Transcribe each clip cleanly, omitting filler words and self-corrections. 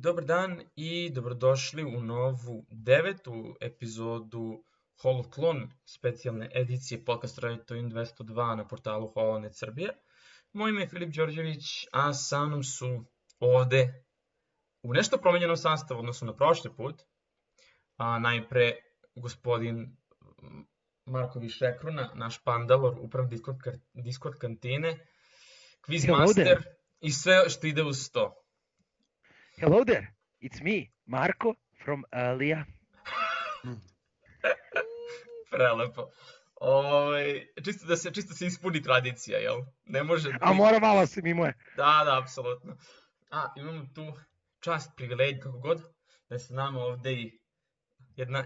Dobar dan i dobrodošli u novu 9. epizodu Holoklon specijalne edicije podcast Radio Twin 202 na portalu Holonet Srbije. Moje ime je Filip Đorđević, a sa mnom su ovde u nešto promenjenom sastavu odnosno na prošli put. Najpre gospodin Marko Višekruna, naš pandalor, uprav Discord kantine, Quizmaster i sve što ide uz to. Hello there, it's me, Marko from Alija. Prelepo. Čisto se ispuni tradicija, jel? Ne može... A mora malo se mimo. Da, apsolutno. Imamo tu čast, privilegij, kako god, da se nama ovde i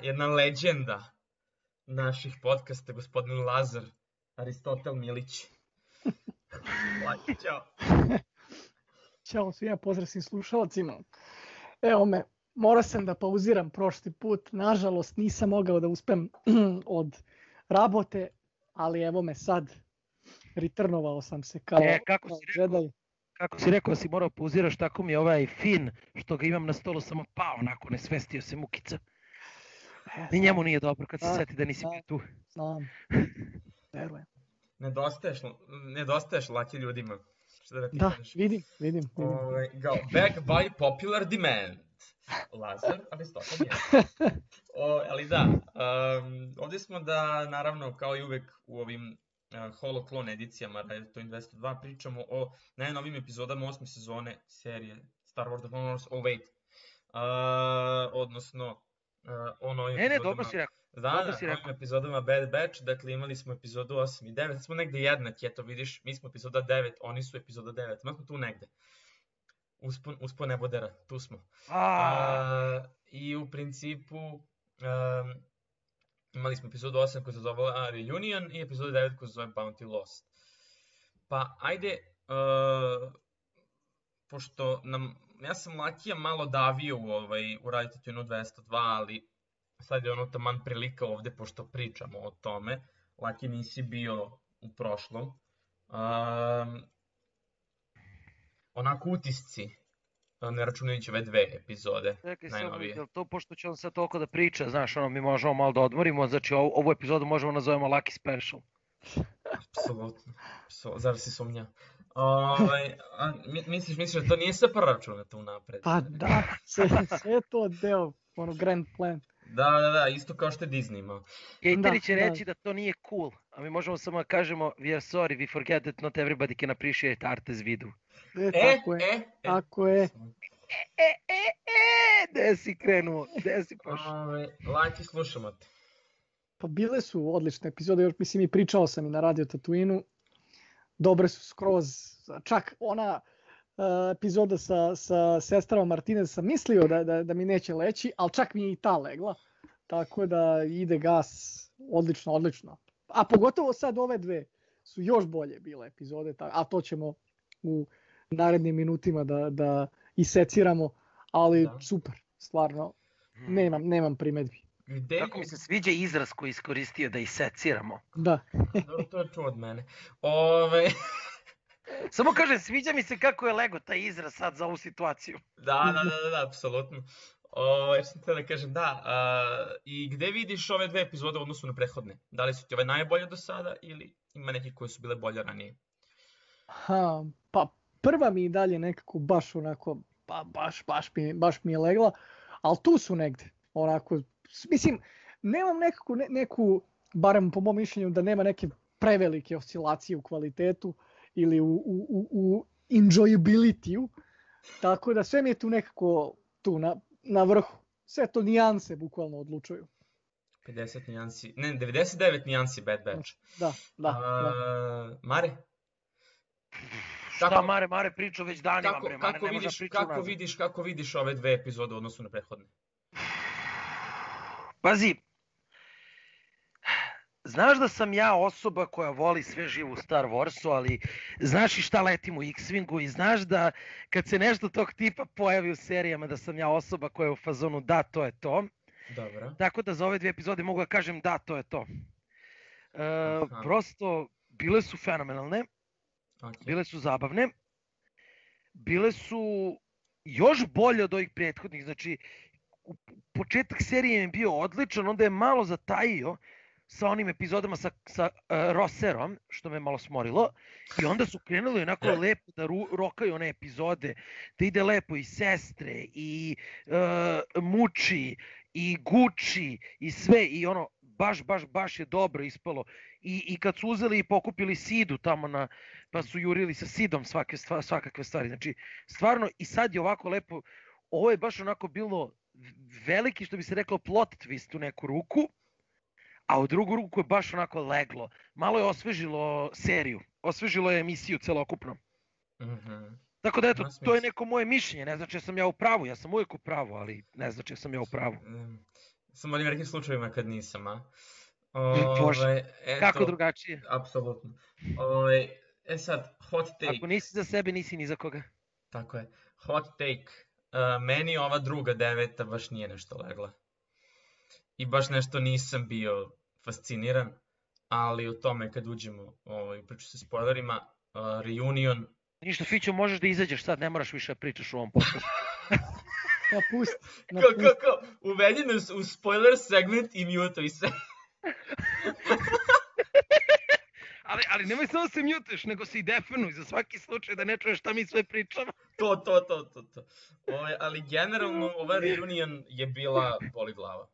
jedna leđenda naših podcasta, gospodin Lazar Aristotel Milić. Laki, čao. Ćao svima, pozdrav svim slušalcima. Evo me, morao sam da pauziram prošli put, nažalost nisam mogao da uspem od rabote, ali evo me sad, returnovao sam se kao Jedi. Kako si rekao da si morao pauziraš, tako mi je ovaj fin što ga imam na stolu samo pao, onako nesvestio se mukica. Ni njemu nije dobro kad se seti da nisi tu. Znam, verujem. Nedostaješ laki ljudima. Da, vidim. Back by popular demand. Lazar, Aristotel je. Ali da, ovdje smo da, naravno, kao i uvek u ovim Holoklon edicijama Radio Twin 202 pričamo o najnovim epizodama 8. sezone serije Star Wars The Clone Wars. Odnosno o novim epizodama... dobro si rekao. Novim epizodama Bad Batch, dakle imali smo epizodu 8 i 9, sad smo negde jednaki, eto vidiš, mi smo epizoda 9, oni su epizoda 9, mi smo tu negde. Uspon nebodera, tu smo. I u principu imali smo epizodu 8 koja se zove Reunion i epizodu 9 koja se zove Bounty Lost. Pa ajde, pošto ja sam Lakija malo davio u Radio Twinu 202, ali sad je ono taman prilika ovde, pošto pričamo o tome. Laki, nisi bio u prošlom. Onako utisci, ne računajući ove 2 epizode, najnovije. Čekaj, to pošto će on sad toliko da priča, znaš, mi možemo malo da odmorimo, znači ovu epizodu možemo nazovemo Lucky Special. Apsolutno, zar si sumnja? Misliš da to nije sve proračunato unapred? Pa da, sve je to deo, grand plan. Da, isto kao što je Disney imao. Cateri će reći da to nije cool, a mi možemo samo da kažemo we are sorry, we forget that not everybody can appreciate art as we do. Tako je. Gde si krenuo, gde si pošao? Laki, slušamo te. Pa bile su odlične epizode, još mislim i pričao sam i na Radio Tatooinu. Dobre su skroz, čak ona epizoda sa sestrama Martinez sam mislio da mi neće leći, ali čak mi je i ta legla. Tako da ide gas, odlično. A pogotovo sad ove 2 su još bolje bile epizode, a to ćemo u narednim minutima da iseciramo, ali super, stvarno, nemam primedbi. Kako mi se sviđa izraz koji iskoristio da iseciramo. Da. To je čuo od mene. Samo kažem, sviđa mi se kako je lego taj izraz sad za ovu situaciju. Da, apsolutno. Sam te da kažem, da. I gde vidiš ove 2 epizode u odnosu na prethodne? Da li su ti ove najbolje do sada ili ima neke koje su bile bolje ranije? Pa prva mi i dalje nekako baš onako, baš mi je legla, ali tu su negde, onako, mislim, nemam neku, barem po mom mišljenju, da nema neke prevelike oscilacije u kvalitetu ili u enjoyability-u, tako da sve mi je tu nekako na vrhu, sve to nijanse bukvalno odlučuju. 50 nijansi, ne, 99 nijansi Bad Batch. Da. Mare? Šta Mare pričao već danima, bre, Mare ne može pričati u nazad. Kako vidiš ove 2 epizode u odnosu na prethodne? Pazi, znaš da sam ja osoba koja voli sve živo u Star Warsu, ali znaš i šta letim u X-Wingu i znaš da kad se nešto tog tipa pojavi u serijama da sam ja osoba koja je u fazonu da, to je to. Dobro. Tako da za ove 2 epizode mogu da kažem da, to je to. Prosto, bile su fenomenalne, bile su zabavne, bile su još bolje od ovih prethodnih. Znači, početak serije je bio odličan, onda je malo zatajio sa onim epizodama sa Rosserom, što me malo smorilo, i onda su krenuli onako lepo da rokaju one epizode, da ide lepo i sestre, i muči, i guči, i sve, i ono, baš je dobro ispalo. I kad su uzeli i pokupili Sidu tamo pa su jurili sa Sidom svakakve stvari. Znači, stvarno, i sad je ovako lepo, ovo je baš onako bilo veliki, što bi se reklo, plot twist u neku ruku, a u drugu ruku je baš onako leglo. Malo je osvežilo seriju, osvežilo je emisiju celokupno. Tako da eto, to je neko moje mišljenje, ne znači sam ja u pravu, ja sam uvijek u pravu, ali ne znači sam ja u pravu. Samo onim nekim slučajevima kad nisam, a? Bože, kako drugačije? Apsolutno. Sad, hot take. Ako nisi za sebe, nisi ni za koga. Tako je. Hot take. Meni ova druga 9. baš nije nešto legla. I baš nešto nisam bio fasciniran, ali o tome kad uđemo priču sa spoilerima, Reunion... Ništa, Fićo, možeš da izađeš sad, ne moraš više da pričaš u ovom podcastu. Kako? Uvedi nas u spoiler segment i mutuj se. Ali nemoj samo se mutuješ, nego se i definuj za svaki slučaj da ne čuješ šta mi sve pričamo. To. Ali generalno ova Reunion je bila boli glava.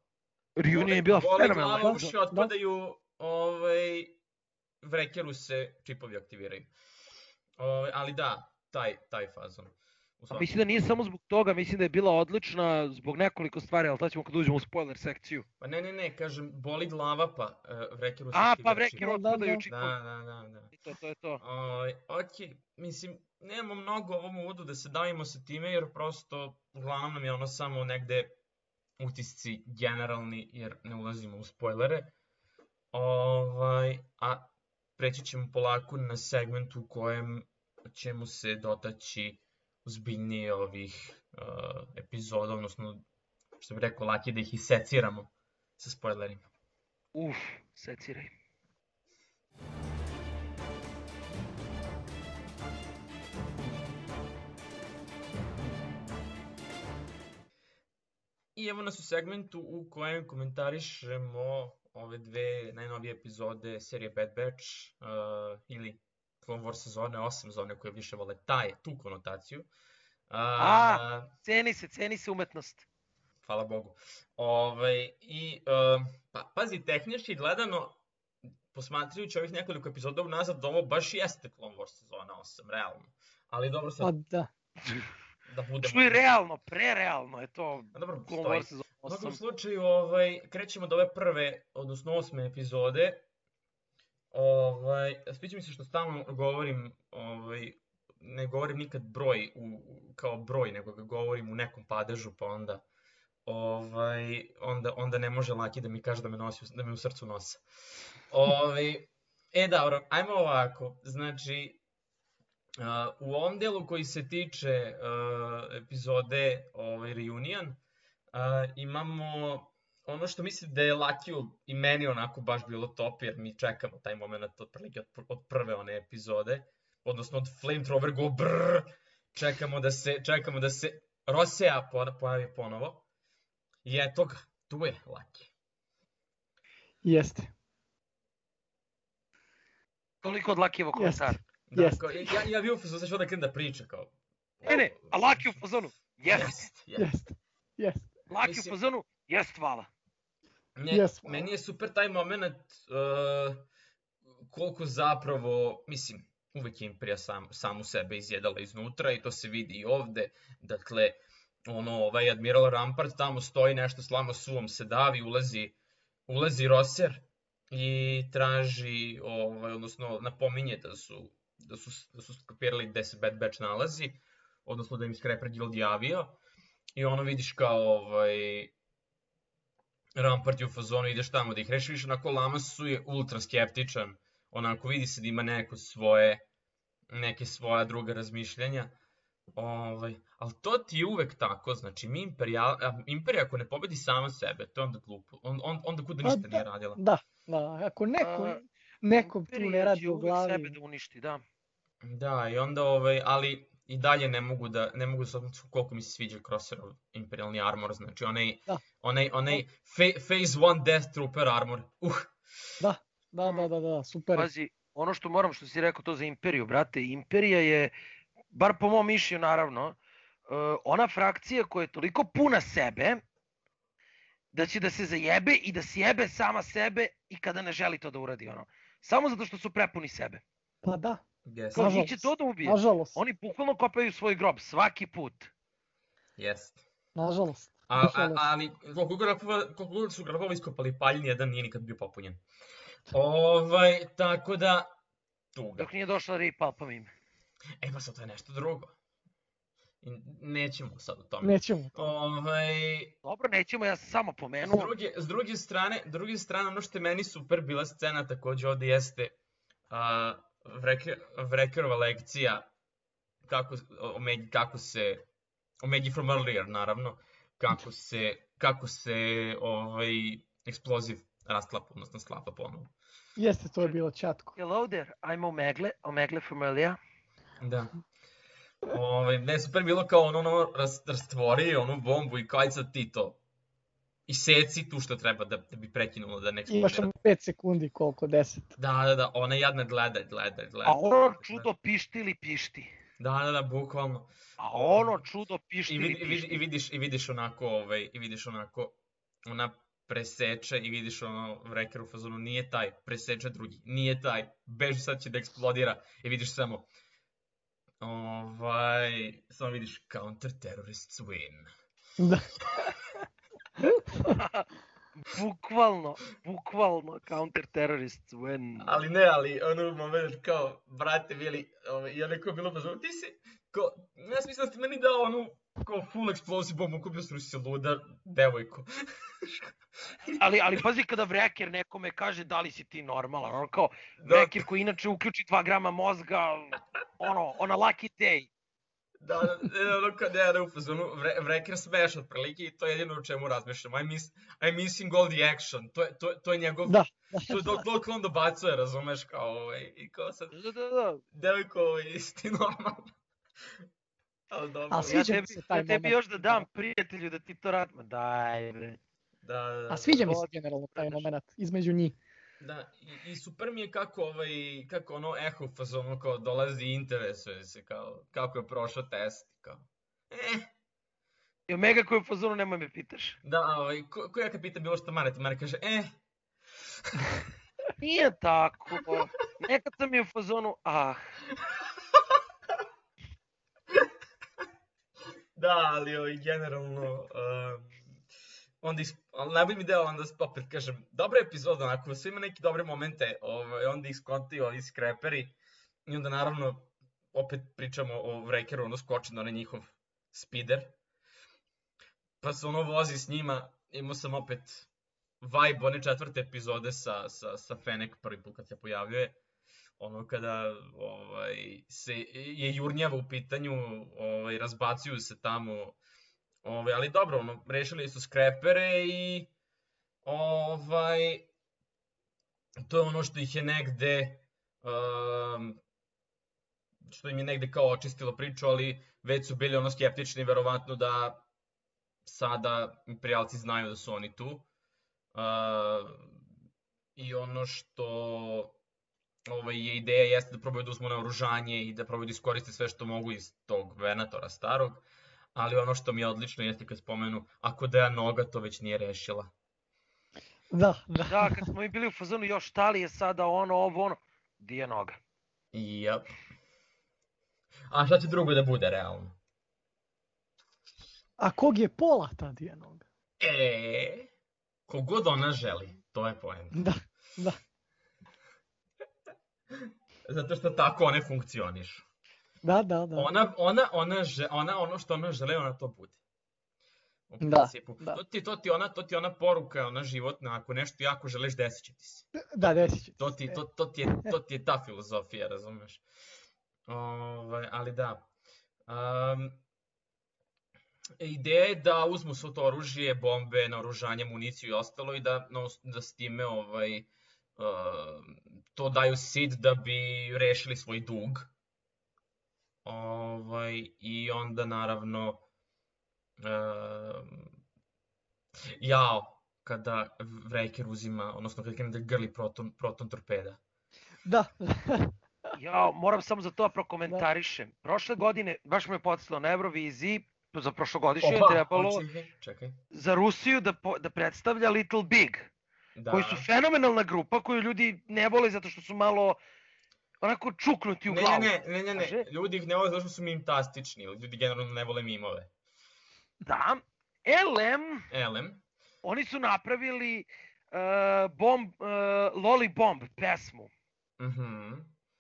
Reunion je bila fenomenalna. Boli glava, uši otpadaju, vrekeru se čipovi aktiviraju. Ali da, taj fazon. Mislim da nije samo zbog toga, mislim da je bila odlična zbog nekoliko stvari, ali to ćemo kad uđemo u spoiler sekciju. Pa ne, kažem, boli glava pa vrekeru se aktiviraju. Pa vrekeru otpadaju čipovi. Da. To je to. Ok, mislim, nemamo mnogo ovom uvodu da se davimo sa time, jer prosto uglavnom nam je ono samo negde utisci generalni, jer ne ulazimo u spoilere. A preći ćemo polako na segment u kojem ćemo se dotaći ozbiljnije ovih epizoda, odnosno, što bih rekao, laki da ih iseciramo sa spoilerima. Seciraj. I evo nas u segmentu u kojem komentarišemo ove dve najnovije epizode serije Bad Batch ili Clone Wars sezone 8, za one koje više vole tu konotaciju. Ceni se umetnost. Hvala Bogu. Pazi, tehnički gledano, posmatrajući ovih nekoliko epizoda unazad, ovo baš jeste Clone Wars sezona 8, realno. Ali dobro sad... Da budemo... Što je realno, prerealno je to. Dobro, stoji. U svakom slučaju, krećemo do ove prve, odnosno 8. epizode. Sviđa mi se što stalno govorim, ne govorim nikad broj kao broj, nego ga govorim u nekom padežu, pa onda ne može Laki da mi kaže da me u srcu nosa. Dobro, ajmo ovako, znači, u ovom delu koji se tiče epizode Reunion, imamo ono što mislim da je Lakiju i meni onako baš bilo top, jer mi čekamo taj moment od prve one epizode, odnosno od Flamethrower go brrrr, čekamo da se Rosea pojavi ponovo. I eto ga, tu je Laki. Jeste. Toliko od Lakijevog komentara. Ja bio u fazonu, sad ću da krenem da priča kao... Ne, a Laki u fazonu, jest. Laki u fazonu, jest, hvala. Meni je super taj moment koliko zapravo, mislim, uvek je Imperija samu sebe izjedala iznutra i to se vidi i ovde. Dakle, ovaj Admiral Rampart tamo stoji, nešto slama suvom se davi, ulazi Rosser i traži, odnosno napominje da su skapirali gde se Bad Batch nalazi, odnosno da im Scrapper Guild javio. I vidiš kao Rampart je u fazonu, ideš tamo da ih rešiš, onako Lamasu je ultra skeptičan, onako vidi se da ima neke svoja druga razmišljanja. Ali to ti je uvek tako, znači Imperija ako ne pobedi sama sebe, to je onda glupo, onda kuda ništa nije radila. Da, ako neko tu ne radi u glavi. Uvek sebe da uništi, da. Da, i onda, ali i dalje ne mogu da se odlučim koliko mi se sviđa Crosserov Imperialni armor, znači Da. onaj Phase 1 Death Trooper armor. Da, super. Pazi, ono što moram, što si rekao to za Imperiju, brate, Imperija je, bar po mom mišljenju naravno, ona frakcija koja je toliko puna sebe, da će da se zajebe i da sjebe sama sebe i kada ne želi to da uradi, ono. Samo zato što su prepuni sebe. Pa da, Yes. Kao, njih nažalost. će to da ubije. Nažalost, Oni bukvalno kopaju svoj grob svaki put. Jest. nažalost. Ali koliko god su grobova iskopali paljni, jedan nije nikad bio popunjen. Tako da, tuga. Dok nije došla Rey Palpatine. Pa sad to je nešto drugo. I nećemo sad o tome. Nećemo. Dobro, nećemo, ja sam samo pomenuo. S druge strane, ono što je meni super bila scena takođe ovde jeste Wreckerova lekcija kako se Omegi from earlier, naravno, kako se eksploziv rastlapa, odnosno sklapa ponovo. Jeste, to je bilo čatko. Hello there, I'm Omegle from earlier. Da. Ne, super bilo kao ono rastvori onu bombu i kao aj sad ti to iseci tu što treba da bi prekinulo da ne eksplodira. Imaš samo 5 sekundi, koliko, 10. Da, ona jadna gleda. A ono čudo pišti ili pišti. Da, bukvalno. A ono čudo pišti ili pišti. I vidiš onako, ona preseče i vidiš ono Wrecker u fazonu, nije taj, preseče drugi, nije taj, beži sad će da eksplodira i vidiš samo, samo vidiš counter terrorists win. Da. Bukvalno counter terrorists win. Ali ono moment kao, brate bili, i ono kao bilo fazonu, ti si, kao, ja sam mislim da ti meni dao onu, kao full explosive bombu, kupio sam si luda devojko. Ali pazi kada Wrecker nekome kaže da li si ti normalan, ono kao Wrecker koji inače uključi 2 grama mozga, ono, on a lucky day. Da, ono kao ne u fazonu, Wrecker smeš otprilike i to je jedino u čemu razmišljam. I'm missing all the action, to je njegov, to je dok on dobacuje, razumeš, kao i kao sad, devojko, jesi ti normalan? A sviđa mi se taj moment. Ja tebi još da dam prijatelju da ti to radi. Ma daj bre. Da. A sviđa mi se generalno taj moment između njih. Da, i super mi je kako ono eho fazonu kao dolazi i interesuje se kao kako je prošao test, kao. I Omega koji u fazonu nemoj me pitaš. Da, ko ja kad pitam bilo što Mare kaže Nije tako. Nekad sam je u fazonu, Da, ali generalno, ali najbolji mi deo onda opet kažem, dobra epizoda, onako, sve ima neke dobre momente, onda ih skonti ovi skreperi i onda naravno opet pričamo o Wreckeru, ono skoči na onaj njihov speeder, pa se ono vozi s njima, imao sam opet vibe one 4. epizode sa Fennec prvi put kad se pojavljuje, ono kada je Jurnjava u pitanju, razbacuju se tamo, ali dobro, ono, rešili su skrepere i to je ono što ih je negde, što im je negde kao očistilo priču, ali već su bili ono skeptični, verovatno da sada imperijalci znaju da su oni tu. I ono što je ideja jeste da probaju da uzmu naoružanje i da probaju da iskoriste sve što mogu iz tog Venatora starog, ali ono što mi je odlično jeste kad spomenu, ako da je noga to već nije rešila. Da. Da, kad smo mi bili u fazonu još šta li je sada ono, di je noga? Jep. A šta će drugo da bude realno? A kog je pola ta di je noga? Kogod ona želi, to je poenta. Da. Zato što tako one funkcionišu. Da. Ona ono što ona žele, ona to bude. Da. To ti ona poruka, ona životna, ako nešto jako želiš, desit će ti se. Da, desit će. To ti je ta filozofija, razumeš? Ali da. Ideja je da uzmu svo to oružje, bombe, naoružanje, municiju i ostalo i da s time to daju Sid da bi rešili svoj dug. I onda naravno kada Vreker uzima, odnosno kada krene da grli proton torpeda. Da. Ja moram samo za to prokomentarišem. Prošle godine, baš me podsjetilo na Euroviziji, za prošlogodišnje je trebalo čekaj. za Rusiju da predstavlja Little Big, koji su fenomenalna grupa, koju ljudi ne vole zato što su malo onako čuknuti u glavu. Ne, ljudi ih ne vole zato što su mimtastični, ljudi generalno ne vole mimove. Da, LM, oni su napravili Loli Bomb pesmu.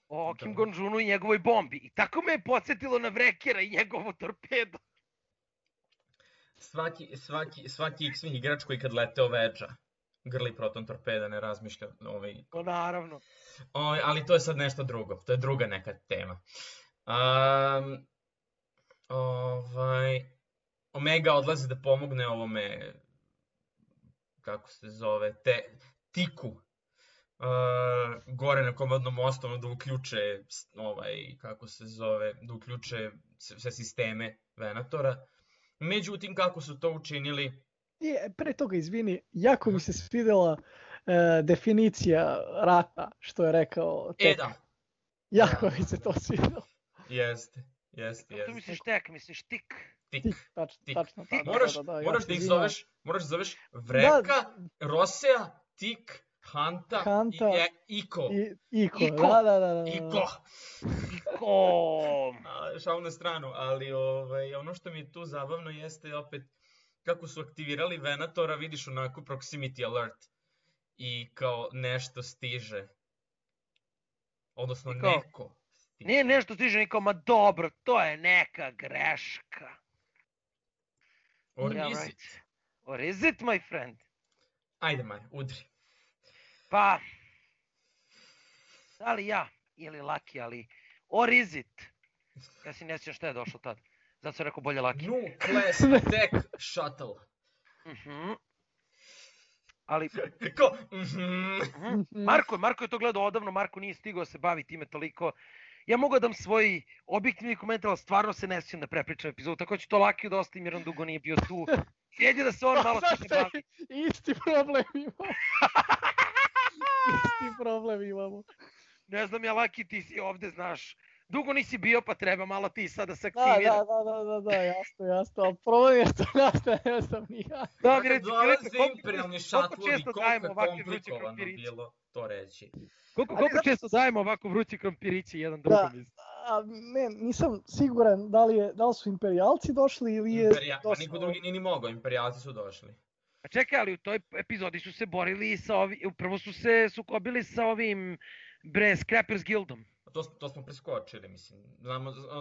O Kim Gon-junu i njegovoj bombi. I tako me je podsjetilo na Vrekera i njegovu torpedu. Svaki X-Wing igrač koji kad lete oveđa grli proton torpeda, ne razmišlja. To naravno. Ali to je sad nešto drugo, to je druga neka tema. Omega odlazi da pomogne ovome, kako se zove, Tiku, gore na komandnom mostu, da uključe, kako se zove, da uključe sve sisteme Venatora. Međutim, kako su to učinili? Pre toga, izvini, jako mi se svidela definicija rata, što je rekao Tek. Da. Jako mi se to svidelo. Jeste. Kako misliš Tek, misliš Tik? Tik. Tačno. Moraš da ih zoveš Vreka, Rosea, Tik, Hanta i Iko. Da. Iko! Šal na stranu, ali ono što mi je tu zabavno jeste opet kako su aktivirali Venatora, vidiš onako proximity alert i kao nešto stiže. Odnosno neko stiže. Nije nešto stiže, niko, ma dobro, to je neka greška. Or is it? Or is it, my friend? Ajde, Mare, udri. Pa, da li ja ili Laki, ali or is it? Ja si ne sjećam šta je došlo tad. Zato sam rekao bolje Laki. New class attack shuttle. Ali... Ko? Marko je to gledao odavno, Marko nije stigao se bavi time toliko. Ja mogu da dam svoj objektivni komentar, ali stvarno se ne sjećam da prepričam epizodu, tako ću to Lakiju da ostavim jer on dugo nije bio tu. Sjedi da se on malo se bavi. Isti problem imamo. Ne znam ja, Laki, ti si ovde, znaš. Dugo nisi bio, pa treba malo ti sad da se aktivira. Da, jasno. Ali problem je što ne znam ni ja. Da, mi reci, imperijalni šatlovi, koliko je komplikovano bilo to reći. Koliko često dajemo ovako vrući krompirići jedan drugom? Ne, nisam siguran da li su imperijalci došli ili je došlo. Niko drugi nije ni mogao, imperijalci su došli. A čekaj, ali u toj epizodi su se borili sa upravo su se sukobili sa ovim Scrappers Guildom. To smo preskočili, mislim.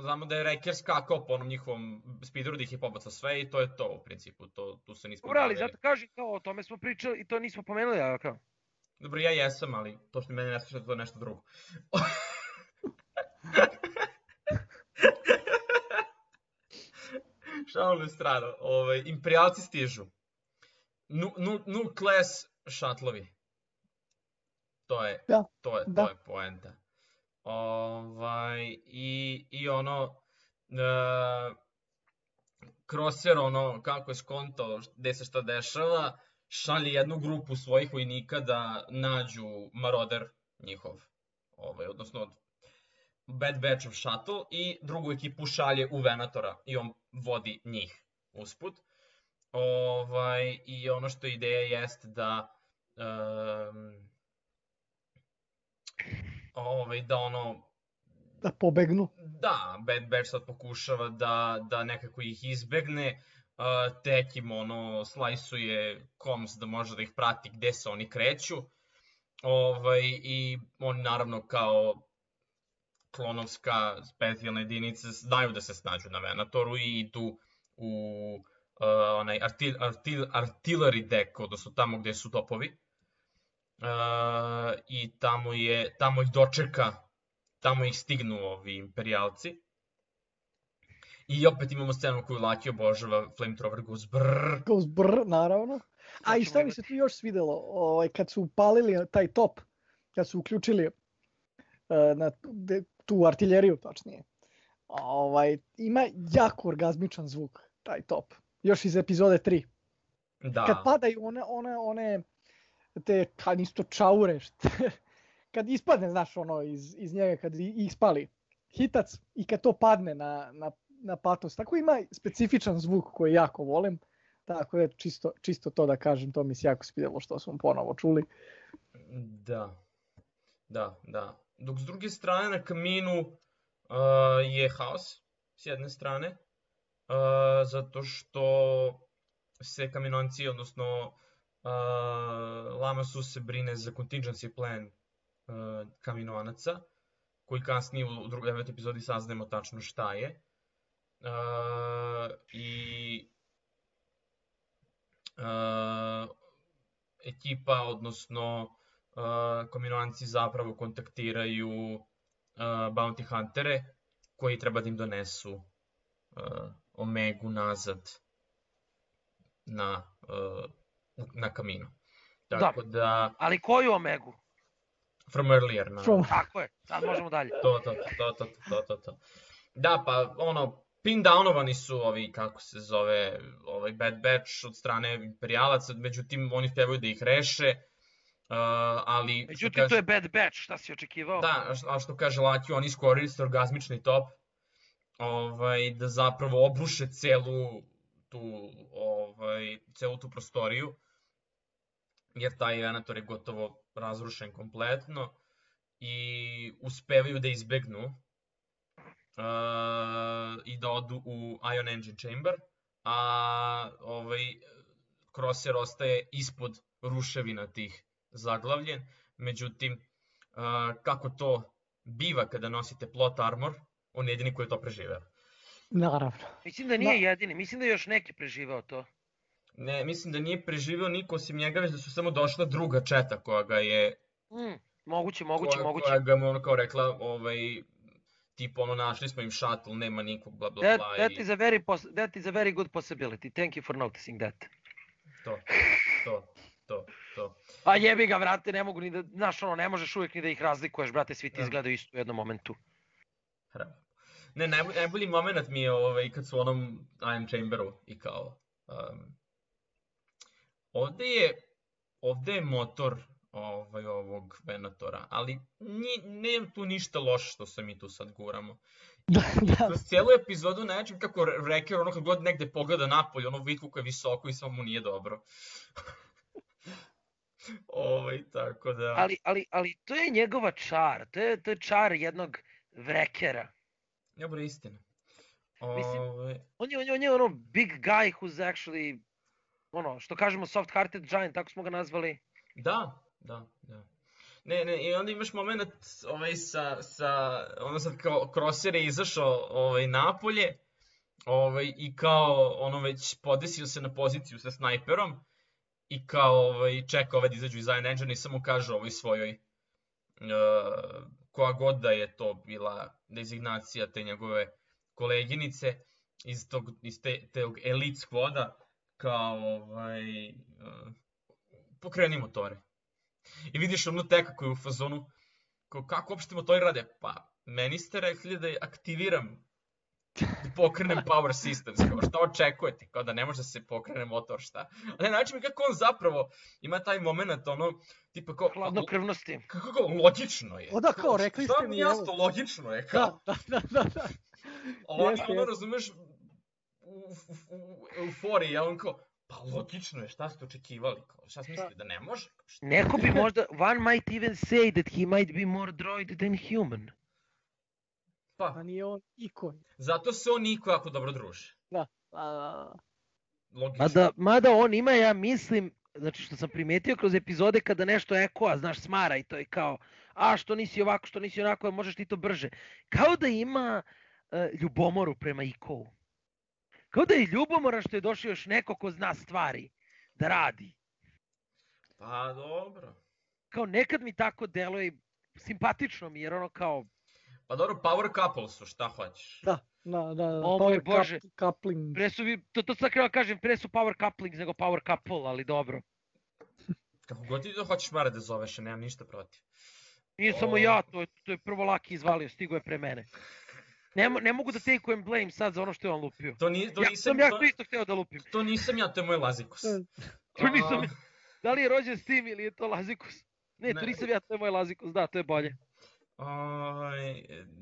Znamo da je Wrecker skakao po onom njihovom speederu, da ih je pobacao sve i to je to u principu. Tu se nismo bavili. Dobro, ali zato kažem kao o tome smo pričali i to nismo pomenuli, a kao? Dobro, ja jesam, ali to što mene ne sluša, to je nešto drugo. Šalim na stranu. Imperijalci stižu. New class šatlovi. To je poenta. I ono, Crosser, ono, kako je skontao gde se šta dešava, šalje jednu grupu svojih vojnika da nađu Marauder njihov, odnosno Bad Batch of Shuttle, i drugu ekipu šalje u Venatora i on vodi njih usput. I ono što ideja jeste da da pobegnu. Da, Bad Batch sad pokušava da nekako ih izbegne. Tekim slajsuje Coms da može da ih prati gde se oni kreću. I oni naravno kao klonovska specijalna jedinica znaju da se snađu na Venatoru i idu u onaj artillery deck, odnosno tamo gde su topovi. I tamo ih dočeka, tamo ih stignu ovi imperijalci. I opet imamo scenu koju Laki obožava, Flamethrower goes brrrr. Goes brrrr, naravno. A i šta mi se tu još svidelo, kad su upalili taj top, kad su uključili tu artiljeriju, tačnije, ima jako orgazmičan zvuk, taj top. Još iz epizode 3. Da. Kad padaju one te, kad isto čaure, kad ispadne, znaš, ono, iz njega, kad ispali hitac i kad to padne na patos. Tako ima specifičan zvuk koji jako volim. Tako da čisto to da kažem, to mi se jako svidjelo što smo ponovo čuli. Da. Dok s druge strane na kaminu je haos s jedne strane, zato što se kaminonci, odnosno Lamasu se brine za contingency plan kaminoanaca, koji kasnije u 9. epizodi saznajemo tačno šta je. I ekipa, odnosno kaminoanci zapravo kontaktiraju bounty huntere koji treba da im donesu Omegu nazad na kaminu. Tako da... Ali koju Omegu? From earlier. Tako je, sad možemo dalje. To. Da, pa ono, pin downovani su ovi, kako se zove, Bad Batch od strane imperijalaca, međutim oni uspjevaju da ih reše, ali... Međutim, to je Bad Batch, šta si očekivao? Da, a što kaže Laki, oni iskoriste orgazmični top, da zapravo obruše celu tu prostoriju, jer taj Venator je gotovo razrušen kompletno i uspevaju da izbegnu i da odu u Ion Engine Chamber, a Crosser ostaje ispod ruševina tih zaglavljen. Međutim, kako to biva kada nosite plot armor, on je jedini koji je to preživeo. Naravno. Mislim da nije jedini, mislim da je još neki preživeo to. Ne, mislim da nije preživeo niko osim njega, već da su samo došla druga četa koja ga je... Moguće. Koja ga mu ono kao rekla, tipa ono našli smo im shuttle, nema nikog, bla bla bla. That is a very good possibility, thank you for noticing that. To. A jebi ga, vrate, ne mogu ni da, znaš ono, ne možeš uvijek ni da ih razlikuješ, brate, svi ti izgledaju isto u jednom momentu. Ne, najbolji moment mi je kad su u onom Iron Chamberu i kao... Ovde je motor ovog Venatora, ali nema tu ništa loše što se mi tu sad guramo. Kroz cijelu epizodu način kako Wrecker ono kad god negde pogleda napolje, ono vidi kako je visoko i samo mu nije dobro. Tako da... Ali to je njegova čar, to je čar jednog Wreckera. Dobro, istina. Mislim, on je ono big guy who's actually, ono, što kažemo soft-hearted giant, tako smo ga nazvali. Da. Ne, i onda imaš moment ono sad kao Crosser je izašao napolje i kao ono već podesio se na poziciju sa snajperom i kao čeka da izađu iz Iron Engine i samo kaže svojoj koja god da je to bila dezignacija te njegove koleginice iz tog elite squada kao pokreni motore. I vidiš onu teka koju je u fazonu, kako uopšte motori rade? Pa, meni ste rekli da aktiviram, da pokrenem power systems, kao šta očekujete, kao da ne može da se pokrene motor, šta? Ali način kako on zapravo ima taj moment, ono, tipa kao... Hladnokrvnosti. Kako logično je. O da, kao, rekli ste mi, evo. Šta mi logično je, kao. Da. Ono, razumeš, u euforiji, ja on kao, pa logično je, šta ste očekivali, kao, šta ste mislili, da ne može? Neko bi možda, one might even say that he might be more droid than human. Pa nije on iko. Zato se on Niko jako dobro druži. Da. Logično. Mada on ima, ja mislim, znači što sam primetio kroz epizode kada nešto ekoa, znaš, smara i to je kao, što nisi ovako, što nisi onako, možeš ti to brže. Kao da ima ljubomoru prema Ikovu. Kao da je ljubomoran što je došao još neko ko zna stvari da radi. Pa dobro. Kao nekad mi tako deluje, simpatično mi, jer ono kao... Pa dobro, power couple su, šta hoćeš? Da. O moj Bože, coupling. To sad krenuo kažem, pre su power couplings nego power couple, ali dobro. Kako god ti da hoćeš Mare da zoveš, nemam ništa protiv. Nije samo ja, to je prvo Laki izvalio, stigo je pre mene. Ne mogu da take-ujem blame sad za ono što je on lupio. To nisam Ja to isto hteo da lupim. To nisam ja, to je moj Lazikus. To nisam... Da li je rođen s tim ili je to Lazikus? Ne, to nisam ja, to je moj Lazikus, da, to je bolje.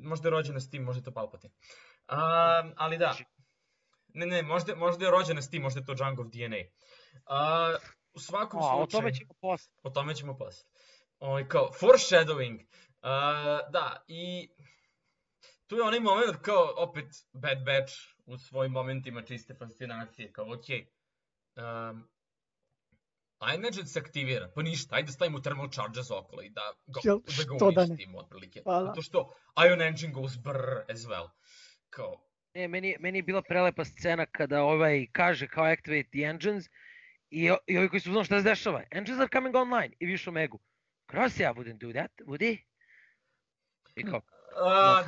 Možda je rođena s tim, možda je to Palpatine. Ali da. Ne, možda je rođena s tim, možda je to Jungov DNA. U svakom slučaju... O tome ćemo posle. Kao, foreshadowing. Da, i... Tu je onaj moment kao, opet, Bad Batch u svojim momentima čiste fascinacije, kao, okej. iMagine se aktivira, pa ništa, ajde stavimo thermal charges okolo i da ga uništimo otprilike. Zato što Ion Engine goes brrr as well. Kao... Meni je bila prelepa scena kada kaže kao activate the engines i ovi koji su znali šta se dešava. Engines are coming online i viš Omegu. Crossy, I wouldn't do that, would he? I kao...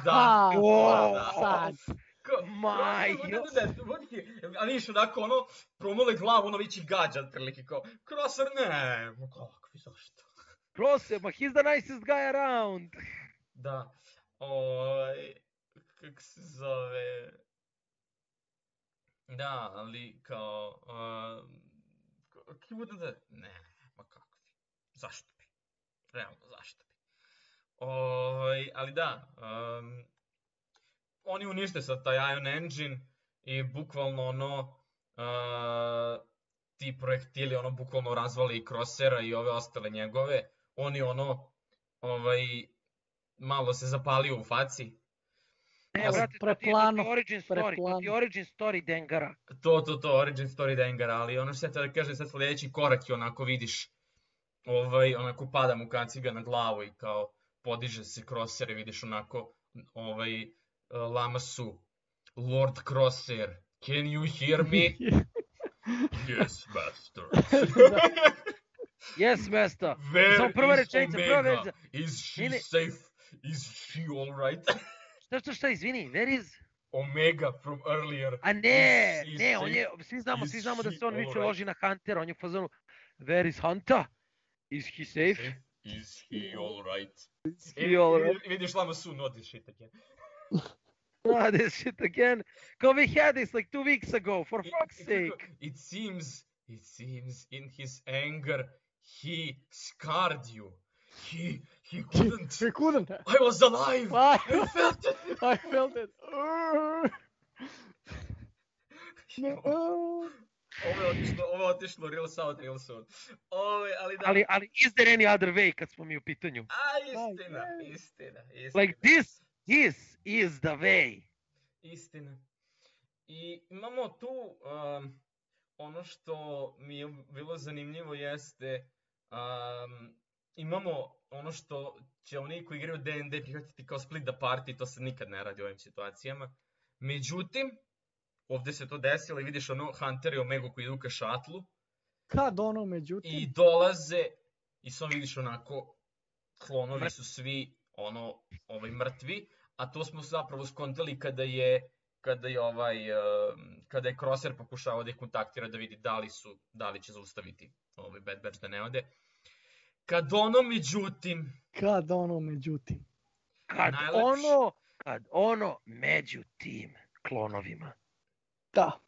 Da. Ali viš onako ono, promole glavu, ono vići gađa otprilike kao, Crosser ne, kakvi, zašto? Crosser, ma he's the nicest guy around. Da, kak se zove, da, ali kao, ne, ma kakvi, zašto bi, realno zašto bi. Ali da, oni unište sad taj Ion Engine i bukvalno ono, ti projektili ono bukvalno razvali i Crossera i ove ostale njegove, oni ono, malo se zapalio u faci. Ne, brate, to ti origin story Dengara. To, origin story Dengara, ali ono što ja da kažem, sad sljedeći korak je onako vidiš, onako pada mu kaciga na glavu i kao podiže se Crosser i vidiš onako, Lamasu, Lord Crosser, can you hear me? Yes, master. Yes, master. Where is Omega? Is she safe? Is she alright? Šta, izvini, where is? Omega from earlier. A ne, on je, svi znamo da se on više loži na Huntera, on je u fazonu, where is Hunter? Is he safe? Is he alright? Is he alright? Vidiš Lamasu, not this shit again. Not this shit again. Because we had this like 2 weeks ago, for fuck's sake. It seems in his anger, he scarred you. He couldn't. He couldn't. I was alive. I felt it. I felt it. Ovo je otišlo real sound. Ali is there any other way kad smo mi u pitanju? Istina. Like this is the way. Istina. I imamo tu, ono što mi je bilo zanimljivo jeste, imamo ono što će oni koji igraju D&D prihvatiti kao split the party, to se nikad ne radi u ovim situacijama. Međutim, ovdje se to desilo i vidiš ono Hunter i Omega koji idu ka šatlu. Kad ono međutim? I dolaze i samo vidiš onako, klonovi su svi mrtvi, a to smo zapravo skontali kada je Crosser pokušao da ih kontaktira da vidi da li će zaustaviti Bad Batch da ne ode. Kad ono međutim među tim klonovima. Da.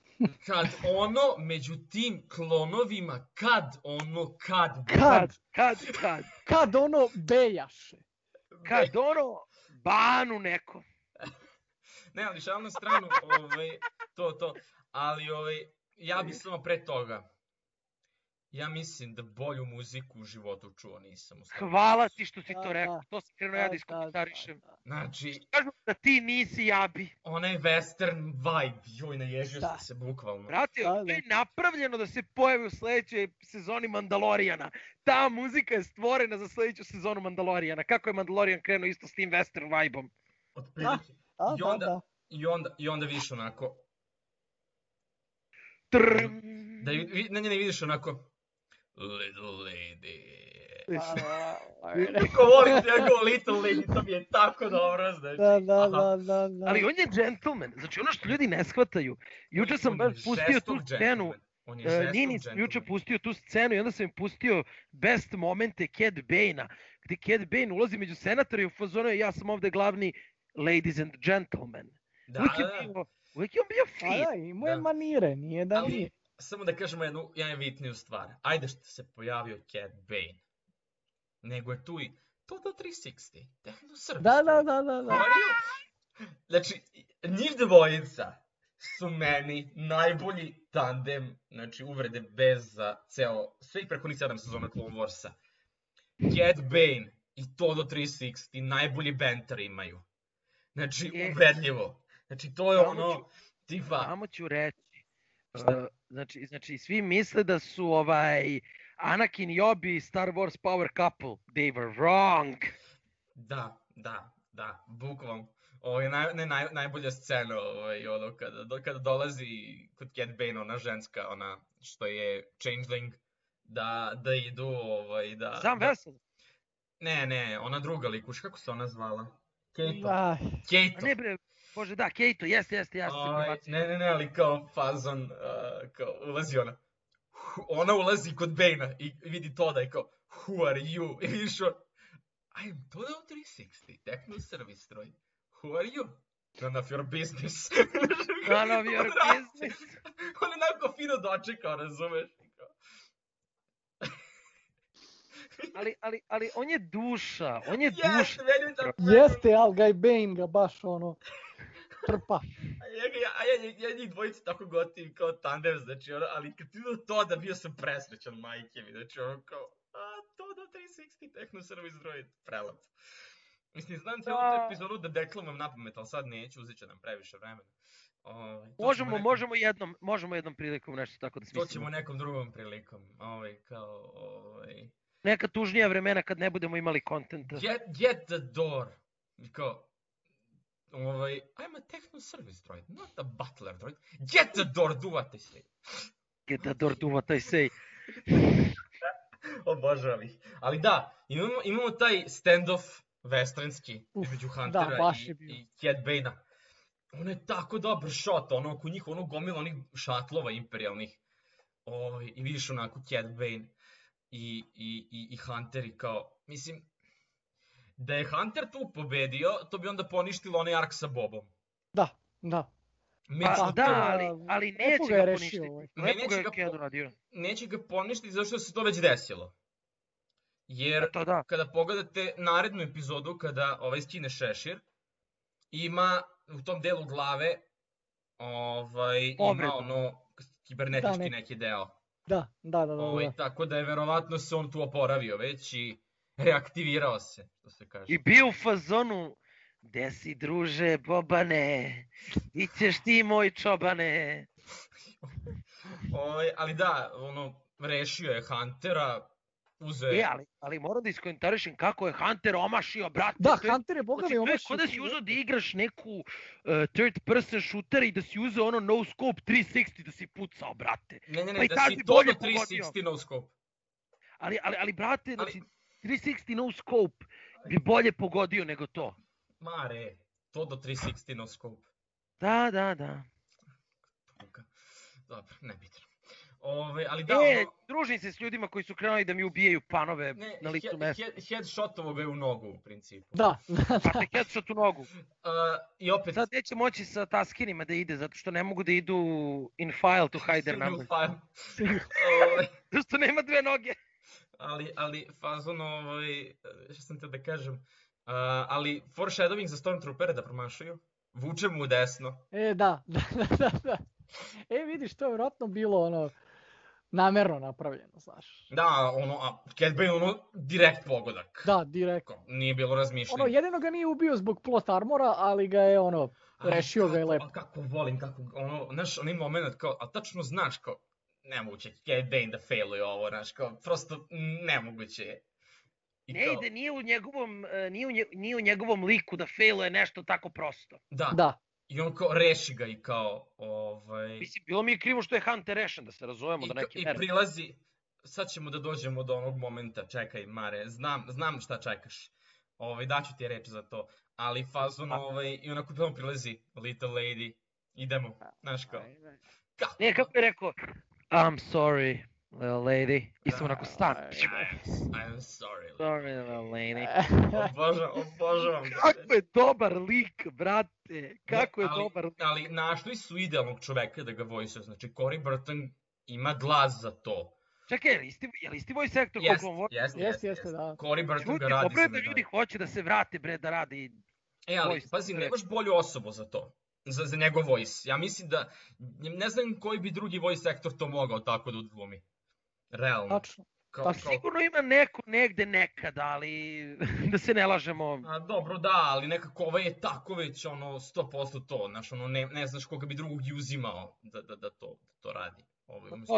Kad ono među tim klonovima, kad ono bejaše. Kad ono banu neko. Ne, ali šal na stranu, to. Ali ja bi samo pre toga. Ja mislim da bolju muziku u životu čuo nisam. Hvala ti što si to rekao, to sam krenuo ja da iskomentarišem. Znači... Kažu da ti nisi, ja bi. Onaj western vibe, joj, naježio sam se bukvalno. Brate, to je napravljeno da se pojavi u sledećoj sezoni Mandalorijana. Ta muzika je stvorena za sledeću sezonu Mandalorijana. Kako je Mandalorijan krenuo isto s tim western vibe-om? Otprilike. I onda vidiš onako... Ne vidiš onako... Little lady. Niko volim njegov Little lady, to mi je tako dobro, znaš. Da. Ali on je gentleman, znači ono što ljudi ne shvataju. Juče sam baš pustio tu scenu, Nini sam juče pustio tu scenu i onda sam im pustio best momente Cad Bane-a, gdje Cad Bane ulazi među senatora i u fazonu ja sam ovde glavni ladies and gentlemen. Da, Uvijek je da, bio, uvijek je on bio Pa fin. da, imao je da. manire, nije da nije. Ali, samo da kažemo jednu bitniju stvar. Ajde što se pojavio Cad Bane. Nego je tu i Toto 360, Techno Service. Da, da, Droid. da, da, How da. are you? Znači, njih dvojica su meni najbolji tandem, znači uvrede bez za svih prekonih 7 sezona Clone Warsa. Cad Bane i Todo 360 najbolji banter imaju. Znači, ubedljivo. Znači, to je ono, tipa... Samo ću reći. Znači, svi misle da su Anakin i Obi Star Wars power couple. They were wrong. Da, bukvalno. Ovo je najbolja scena, ono, kada dolazi kod Cad Bane, ona ženska, ona što je changeling, da idu, da... Sam Vessel? Ne, ona druga likuš, kako se ona zvala? Keito. Ah, Keito. Ne bre, bože da, Keito, jeste, ja se pribacio. Ne, ali kao fazon, kao ulazi ona. Ona ulazi kod Bane-a i vidi Toda i kao, who are you? I vidiš on, I am Todo 360, Techno Service Droid. Who are you? None of your business. None of your business. On je onako fino dočekao, razumeš? Ali on je duša, Jeste, ali Guy Bane ga baš ono trpa. Ja njih dvojice tako gotivim kao tandem, znači ono, ali kad ti vidio to da bio sam presrećan, majke mi, znači ono kao, Todo 360 Techno Service Droid, prelep. Mislim, znam cijelu tu epizodu da deklamujem napamet, ali sad neću, uzet će nam previše vremena. Možemo jednom prilikom nešto tako da smislimo. To ćemo nekom drugom prilikom, Neka tužnija vremena kad ne budemo imali kontenta. Get the door. Kao, I'm a Techno Service Droid, not a Butler Droid. Get the door, do what I say. Get the door, do what I say. Obožavam ih. Ali da, imamo taj standoff westernski između Huntera i Cad Bane-a. Ono je tako dobar shot, ono oko njih, ono gomila onih šatlova imperijalnih. I vidiš onako Cad Bane i Hunter i kao, mislim, da je Hunter tu pobedio, to bi onda poništilo onaj ark sa Bobom. Da. Pa da, ali neće ga poništiti. Lepo ga je Cad uradio. Neće ga poništiti zato što se to već desilo. Jer kada pogledate narednu epizodu, kada skine šešir, ima u tom delu glave ima ono kibernetički neki deo. Da. Tako da je verovatno se on tu oporavio već i reaktivirao se, što se kaže. I bio u fazonu, gde si druže Bobane, ićeš ti moj čobane. Ali da, rešio je Huntera, ali moram da iskomentarišem kako je Hunter omašio, brate. Da, Hunter je bogami omašio. Kod da si uzeo da igraš neku third person shooter i da si uzeo ono no scope 360 da si pucao, brate. Ne, da si Todo 360 no scope. Ali brate, znači 360 no scope bi bolje pogodio nego to. Mare, Todo 360 no scope. Da. Dobro, nebitno. Ali da, družim se s ljudima koji su krenuli da mi ubijaju panove na licu mesta. Headshotovo ga je u nogu, u principu. Da. Znate, headshot u nogu. I opet... Sad neće moći sa taskinima da ide, zato što ne mogu da idu in file to hide their number. Zato što nema dve noge. Ali, fazon, što sam te da kažem, ali foreshadowing za Stormtroopere da promašaju, vuče mu u desno. Da. Vidiš, to je vjerojatno bilo namerno napravljeno, znaš. Da, Cad Bane, direkt pogodak. Da, direkt. Nije bilo razmišljanja. Jedino ga nije ubio zbog plot armora, ali ga je, rešio ga je lepo. Kako volim, znaš, onaj moment, a tačno znaš, nemoguće Cad Bane da failuje ovo, znaš, prosto nemoguće je. Ne ide, nije u njegovom liku da failuje nešto tako prosto. Da. I on reši ga i kao, Mislim, bilo mi je krivo što je Hunter rešen, da se razumemo do neke mere. I prilazi, sad ćemo da dođemo do onog momenta, čekaj Mare, znam šta čekaš, daću ti reč za to, ali fazon, i onako prvo prilazi, little lady, idemo, znaš kao. Ne, kako je rekao, I'm sorry, Little lady. Isto onako stan. I'm sorry. Sorry, little lady. Obožavam ga. Kako je dobar lik, brate. Kako je dobar lik. Ali našli su idealnog čoveka da ga vojsuje. Znači, Corey Burton ima glas za to. Čekaj, je li isti voice actor koliko on voli? Jeste, da. Corey Burton Ljudi, ga radi dobro je za da ljudi medalju. hoće da se vrate, bre, da radi. Ali, voice pazi, actor. nemaš bolju osobu za to. Za njegov voice. Ja mislim da, ne znam koji bi drugi voice actor to mogao tako da odglumi. Realno. Tačno. Pa sigurno ima neko negde nekada, ali da se ne lažemo. A dobro, da, ali nekako ovaj je tako već 100% to, znaš, ne znaš koga bi drugog i uzimao da to radi.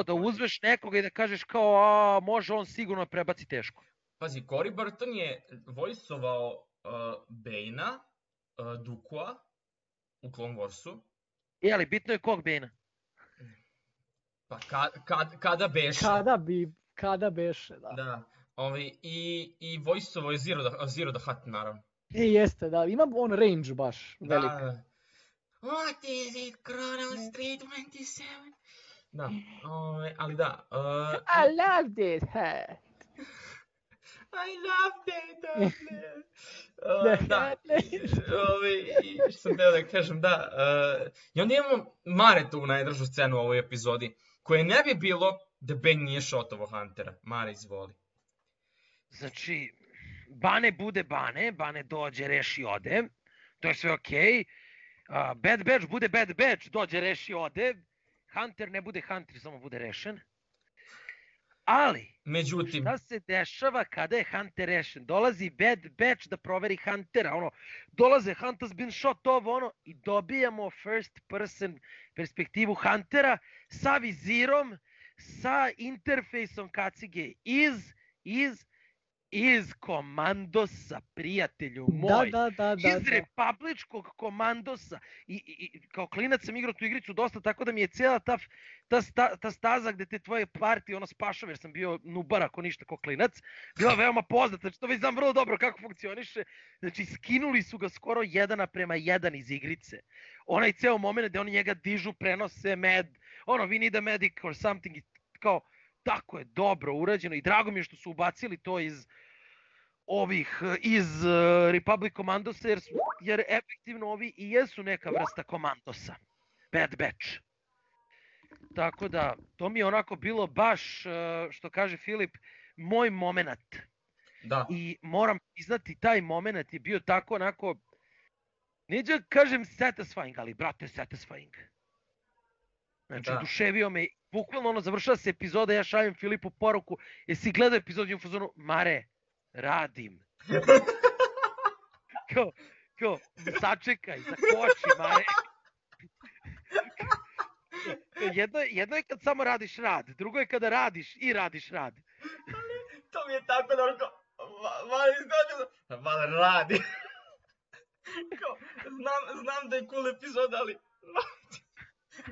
Da uzmeš nekoga i da kažeš kao, može on sigurno prebaci teško. Pazi, Corey Burton je vojsovao Bane-a, Dukua u Clone Warsu. Ali bitno je kog Bane-a? Pa kada beše. Kada beše, da. Da, i vojsovao je Zero the Hutt, naravno. Jeste, da, ima on range baš velik. Da. What is it, Chrono Street 27? Da, ali da. I loved it, I loved it, da, što sam teo da kažem, da. I onda imamo Maretovu najdražu scenu u ovoj epizodi, koje ne bi bilo da Bane nije šotovo Huntera. Mare, izvoli. Znači, Bane bude Bane dođe, reši, ode. To je sve okej. Bad Batch bude Bad Batch, dođe, reši, ode. Hunter ne bude Hunter, samo bude rešen. Ali, međutim, šta se dešava kada je Hunter rešen? Dolazi Bad Batch da proveri Huntera, dolaze Hunter's been shot, i dobijamo first person perspektivu Huntera sa vizirom, sa interfejsom kacige iz komandosa, prijatelju moj. Da. Iz republičkog komandosa. I kao klinac sam igrao tu igricu dosta, tako da mi je cijela ta staza gde te tvoje partije spašava, jer sam bio nubar ako ništa ko klinac, bila veoma poznata. Znači to već znam vrlo dobro kako funkcioniše. Znači skinuli su ga skoro 1:1 iz igrice. Onaj ceo moment gde oni njega dižu, prenose med, we need a medic or something, kao tako je dobro urađeno i drago mi je što su ubacili to iz Republic Commandosa, jer efektivno ovi i jesu neka vrsta komandosa. Bad Batch. Tako da, to mi je onako bilo baš, što kaže Filip, moj moment. Da. I moram priznati, taj moment je bio tako onako, neću da kažem satisfying, ali brate, satisfying. Znači, oduševio me, bukvalno završava se epizoda, ja šaljem Filipu poruku, jesi gledao epizodu i u fazonu, Mare, radim. Kao, sačekaj, zakoči, Mare. Jedno je kad samo radiš rad, drugo je kada radiš i radiš rad. To mi je tako dobro, Mare, radi. Znam da je cool epizoda, ali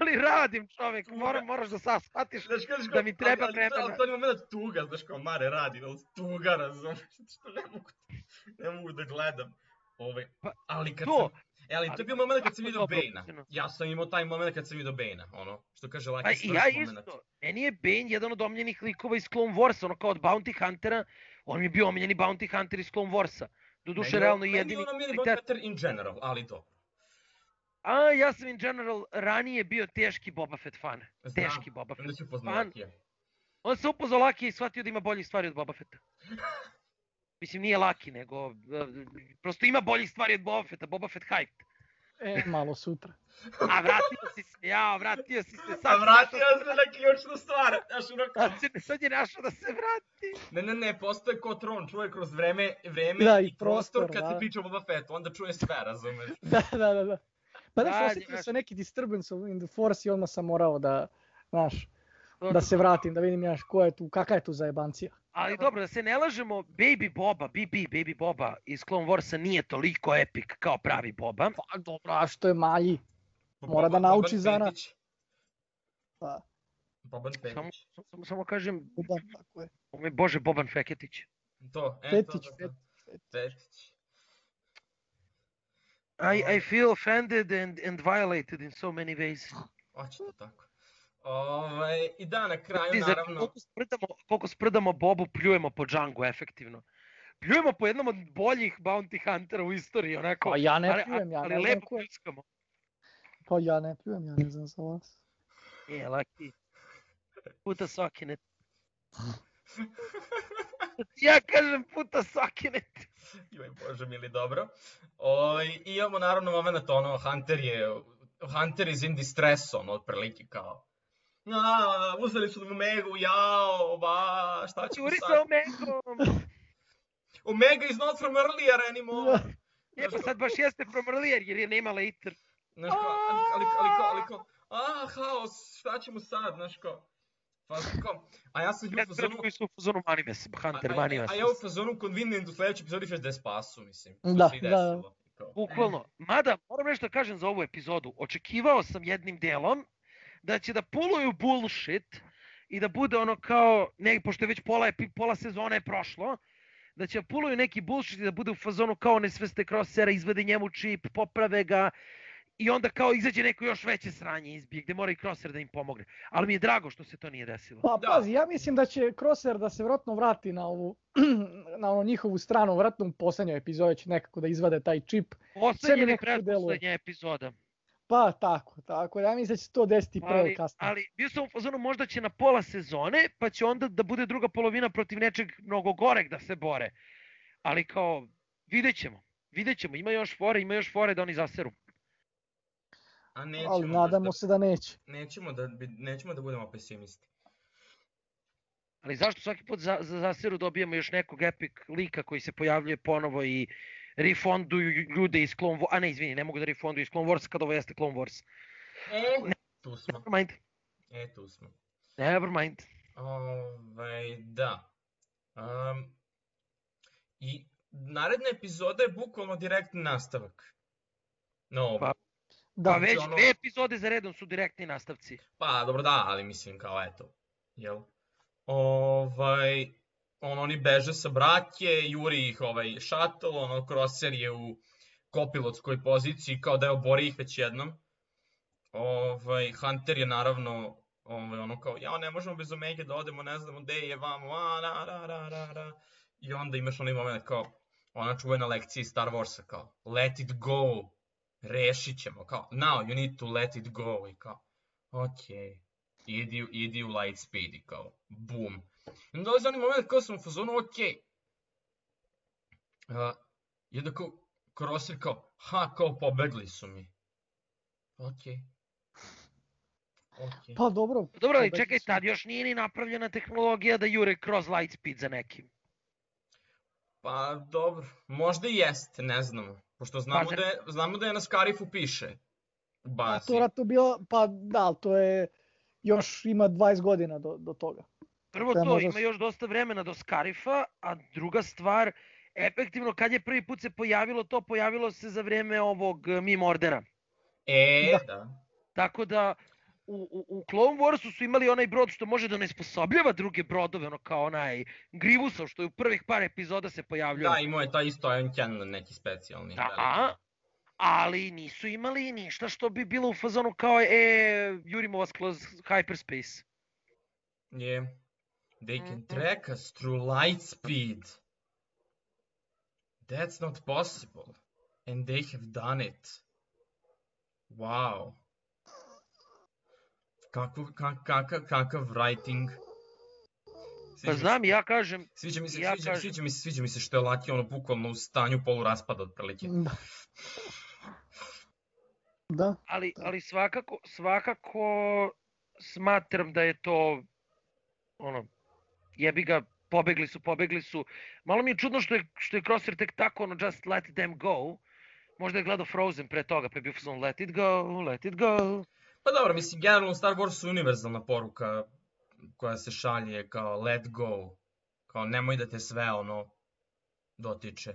ali radim, čovek, moraš da sad shvatiš da mi treba vremena. Ali to je moment tuga, znaš kao Mare radi, tuga, razumiješ, što ne mogu da gledam. Ali kad sam... Ali to je bio moment kad sam vidio Bane-a. Ja sam imao taj moment kad sam vidio Bane-a, što kaže Laki Strš moment. Ja isto, meni je Bane jedan od omiljenih likova iz Clone Warsa, kao od Bounty Huntera, on mi je bio omiljeni Bounty Hunter iz Clone Warsa. Doduše, realno jedini... Meni je on omiljeni Bounty Hunter in general, ali to. Ja sam in general ranije bio teški Boba Fett fan. Teški Boba Fett fan. On se upoznao Lakija i shvatio da ima boljih stvari od Boba Fetta. Mislim, nije Laki, nego... Prosto ima boljih stvari od Boba Fetta. Boba Fett hyped. Malo sutra. A vratio si se, vratio si se. A vratio se na ključnu stvar. Sad je našao da se vrati. Ne, postoje ko tron, čuje kroz vreme i prostor kad se priča o Boba Fettu, onda čuje sve, razumeš? Da. Pa znaš, osjetio sam neki disturbance in the force i odmah sam morao da, znaš, da se vratim, da vidim ko je tu, kakva je tu zajebancija. Ali dobro, da se ne lažemo, Baby Boba iz Clone Warsa nije toliko epic kao pravi Boba. Pa dobro, a što je malji? Mora da nauči zanat. Boban Fetić. Samo kažem, Boban, tako je. Ovo je Bože Boban Feketić. Fetić. I feel offended and violated in so many ways. Očito tako. I da, na kraju, Ti, naravno... koliko sprdamo Bobu, pljujemo po Django, efektivno. Pljujemo po jednom od boljih bounty huntera u istoriji, onako. Pa ja ne pljujem, ja ali ne znam lepo ko je. pljuskamo. Pa ja ne pljujem, ja ne znam za vas. Laki. Puta sokinet. Ja kažem puta sokinet. Joj, bože mili, dobro. I imamo naravno moment, ono, Hunter is in distress, ono, otprilike kao. Uzeli su Omegu, jao, šta ćemo Juri sad? sa Omegom. Omega is not from earlier anymore. Pa sad baš jeste from earlier, jer je nema later. Znaš kao, haos, šta ćemo sad, znaš kao. A ja sam u fazonu... koji su u fazonu Manimes, Hunter, Manimes. A ja u fazonu convenient u sledećoj epizodi još da je spasu, mislim. Da. Bukvalno. Mada, moram nešto kažem za ovu epizodu. Očekivao sam jednim delom da će da puluju bullshit i da bude ono kao, pošto je već pola sezone je prošlo, da će da puluju neki bullshit i da bude u fazonu kao nesveste Crossera, izvede njemu čip, poprave ga i onda kao izađe neko još veće sranje izbije gde mora i Crosser da im pomogne. Ali mi je drago što se to nije desilo. Pa pazi, ja mislim da će Crosser da se vjerojatno vrati na ovu na njihovu stranu, vjerojatno u poslednjoj epizodi će nekako da izvade taj čip. Poslednja ili pretposlednja epizoda. Pa tako, ja mislim da će to desiti pre kasnije. Ali bio sam u fazonu možda će na pola sezone, pa će onda da bude druga polovina protiv nečeg mnogo goreg da se bore. Ali kao, vidjet ćemo, ima još fore da oni zaseru. Ali nadamo se da neće. Nećemo da budemo pesimisti. Ali zašto svaki put za zaseru dobijemo još nekog epic lika koji se pojavljuje ponovo i refonduju ljude iz Clone Wars, ne mogu da refonduju iz Clone Wars kad ovo jeste Clone Wars. Tu smo. Tu smo. Never mind. Da. I naredna epizoda je bukvalno direktni nastavak. Pa već 2 epizode za redom su direktni nastavci. Pa dobro da, ali mislim kao eto. Jel? Oni beže sa brake, juri ih shuttle, Crosser je u kopilotskoj poziciji kao da je obori ih već jednom. Hunter je naravno kao, ne možemo bez Omege da odemo, ne znamo gde je vamo, i onda imaš onaj moment kao, ona čuvena lekcija iz Star Warsa kao, let it go, rešit ćemo, kao, now you need to let it go, i kao, okej. Idi u light speed i kao, boom. I onda dolazi onaj moment kao sam u fazonu, okej. I onda kao, Crosser kao, kao pobegli su mi. Okej. Pa dobro. Dobro, ali čekaj, tad još nije ni napravljena tehnologija da jure kroz light speed za nekim. Pa dobro, možda i jeste, ne znamo. Pošto znamo da je na Scarifu piše. A to vratno bilo, pa da, to je... Još ima 20 godina do toga. Prvo to, ima još dosta vremena do Scarifa, a druga stvar, efektivno kad je prvi put se pojavilo se za vreme ovog Mime Ordera. Da. Tako da, u Clone Warsu su imali onaj brod što može da onesposobljava druge brodove, ono kao onaj Grivusov što je u prvih par epizoda se pojavljao. Da, imao je taj isto Ion Cannon neki specijalni. Da, ali nisu imali ništa što bi bilo u fazonu kao jurimo vas kroz hyperspace. Yeah. They can track us through light speed. That's not possible. And they have done it. Wow. Kakav writing. Pa znam, ja kažem... Sviđa mi se što je Laki bukvalno u stanju poluraspada otprilike. Da. Ali svakako smatram da je to jebi ga, pobegli su. Malo mi je čudno što je Crosser tek tako just let them go. Možda je gledao Frozen pre toga, pa je bio fazon let it go. Pa dobro, mislim, generalno u Star Warsu je univerzalna poruka koja se šalje kao let go. Kao nemoj da te sve dotiče.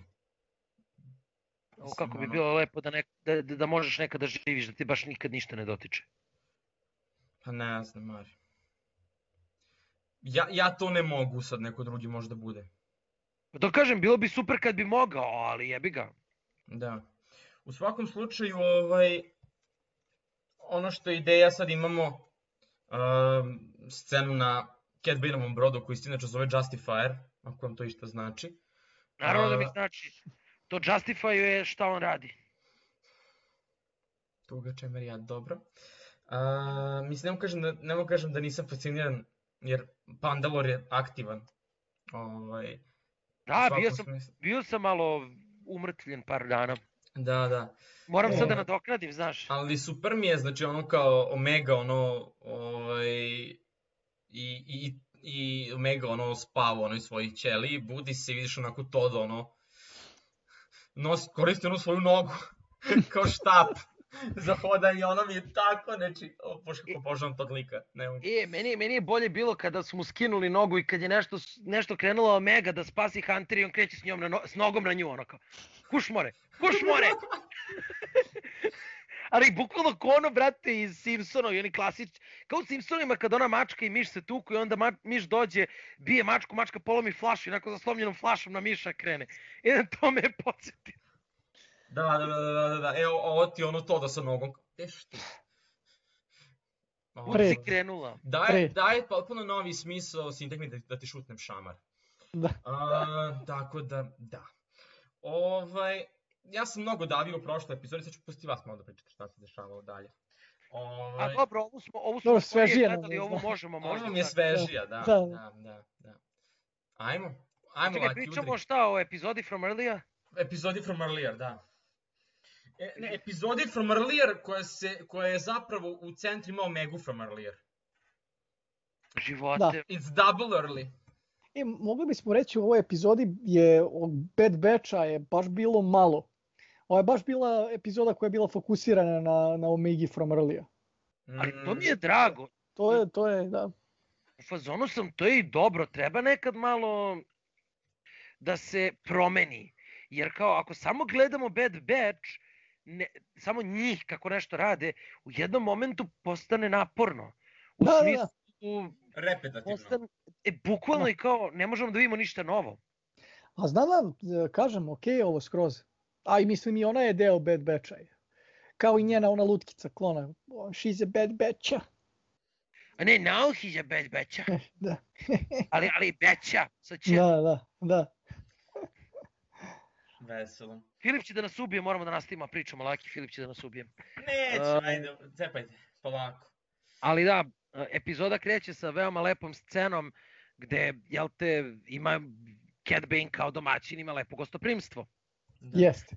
Kako bi bilo lepo da možeš nekada živiš, da ti baš nikad ništa ne dotiče. Pa ne znam, Mari. Ja to ne mogu, sad neko drugi možda bude. Pa to kažem, bilo bi super kad bi mogao, ali jebi ga. Da. U svakom slučaju, ono što je ideja, sad imamo scenu na Cat Baneovom brodu koji se inače zove Justifier, ako vam to išta znači. Naravno da mi znači. To Justifier šta on radi. Tuga čemer ja, dobro. Mislim, ne mogu kažem da nisam fasciniran, jer Pandalore je aktivan. Da, bio sam malo umrtvljen par dana. Da. Moram sad da nadoknadim, znaš. Ali super mi je, znači ono kao Omega, i Omega spava u onoj svojoj ćeliji, budi se i vidiš onako to da koristi svoju nogu kao štap za hodanje, ono mi je tako, znači, obožavam tog lika. Meni je bolje bilo kada su mu skinuli nogu i kad je nešto krenulo Omega da spasi Hunter i on kreće s nogom na nju, ono kao, kuš more! Ali bukvalno ko ono, brate, iz Simpsonova i oni klasični, kao u Simpsonima kad ona mačka i miš se tuku i onda miš dođe, bije mačku, mačka polomi flašu i onako zaslomljenom flašom na miša krene. I na to me je podsjetio. Da, evo ovo ti ono to da sa nogom, što? Kud si krenula? Daje potpuno novi smisao sintagmi da ti šutnem šamar. Tako da. Ja sam mnogo davio u prošloj epizodi, sad ću pustiti vas malo da pričate šta se dešavalo dalje. A dobro, ovu smo skorije gledali, ovo možemo možda. Ovo mi je svežija, da. Ajmo. Čekaj, pričamo šta o epizodi from earlier? Epizodi from earlier, da. Epizodi from earlier koja je zapravo u centru imao Omegu from earlier. Živote. It's double early. Mogli bismo reći u ovoj epizodi od Bad Batcha je baš bilo malo. Ovo je baš bila epizoda koja je bila fokusirana na Omegi from earlier. Ali to mi je drago. To je, da. U fazonu sam, to je i dobro, treba nekad malo da se promeni. Jer kao ako samo gledamo Bad Batch, samo njih kako nešto rade, u jednom momentu postane naporno. U smislu... Repetativno. Bukvalno i kao, ne možemo da vidimo ništa novo. A znam vam, kažem, okej, ovo skroz. A i mislim i ona je deo Bad Batcha. Kao i njena ona lutkica klona. She's a Bad Batcha. A ne, now he's a Bad Batcha. Da. ali Batcha. Da. Veselo. Filip će da nas ubije, moramo da nastavimo pričamo, laki Filip će da nas ubije. Neće, ajde, cepajte, polako. Ali da, epizoda kreće sa veoma lepom scenom gde, jel te, ima Cat Bane kao domaćin, ima lepo gostoprimstvo. Jeste.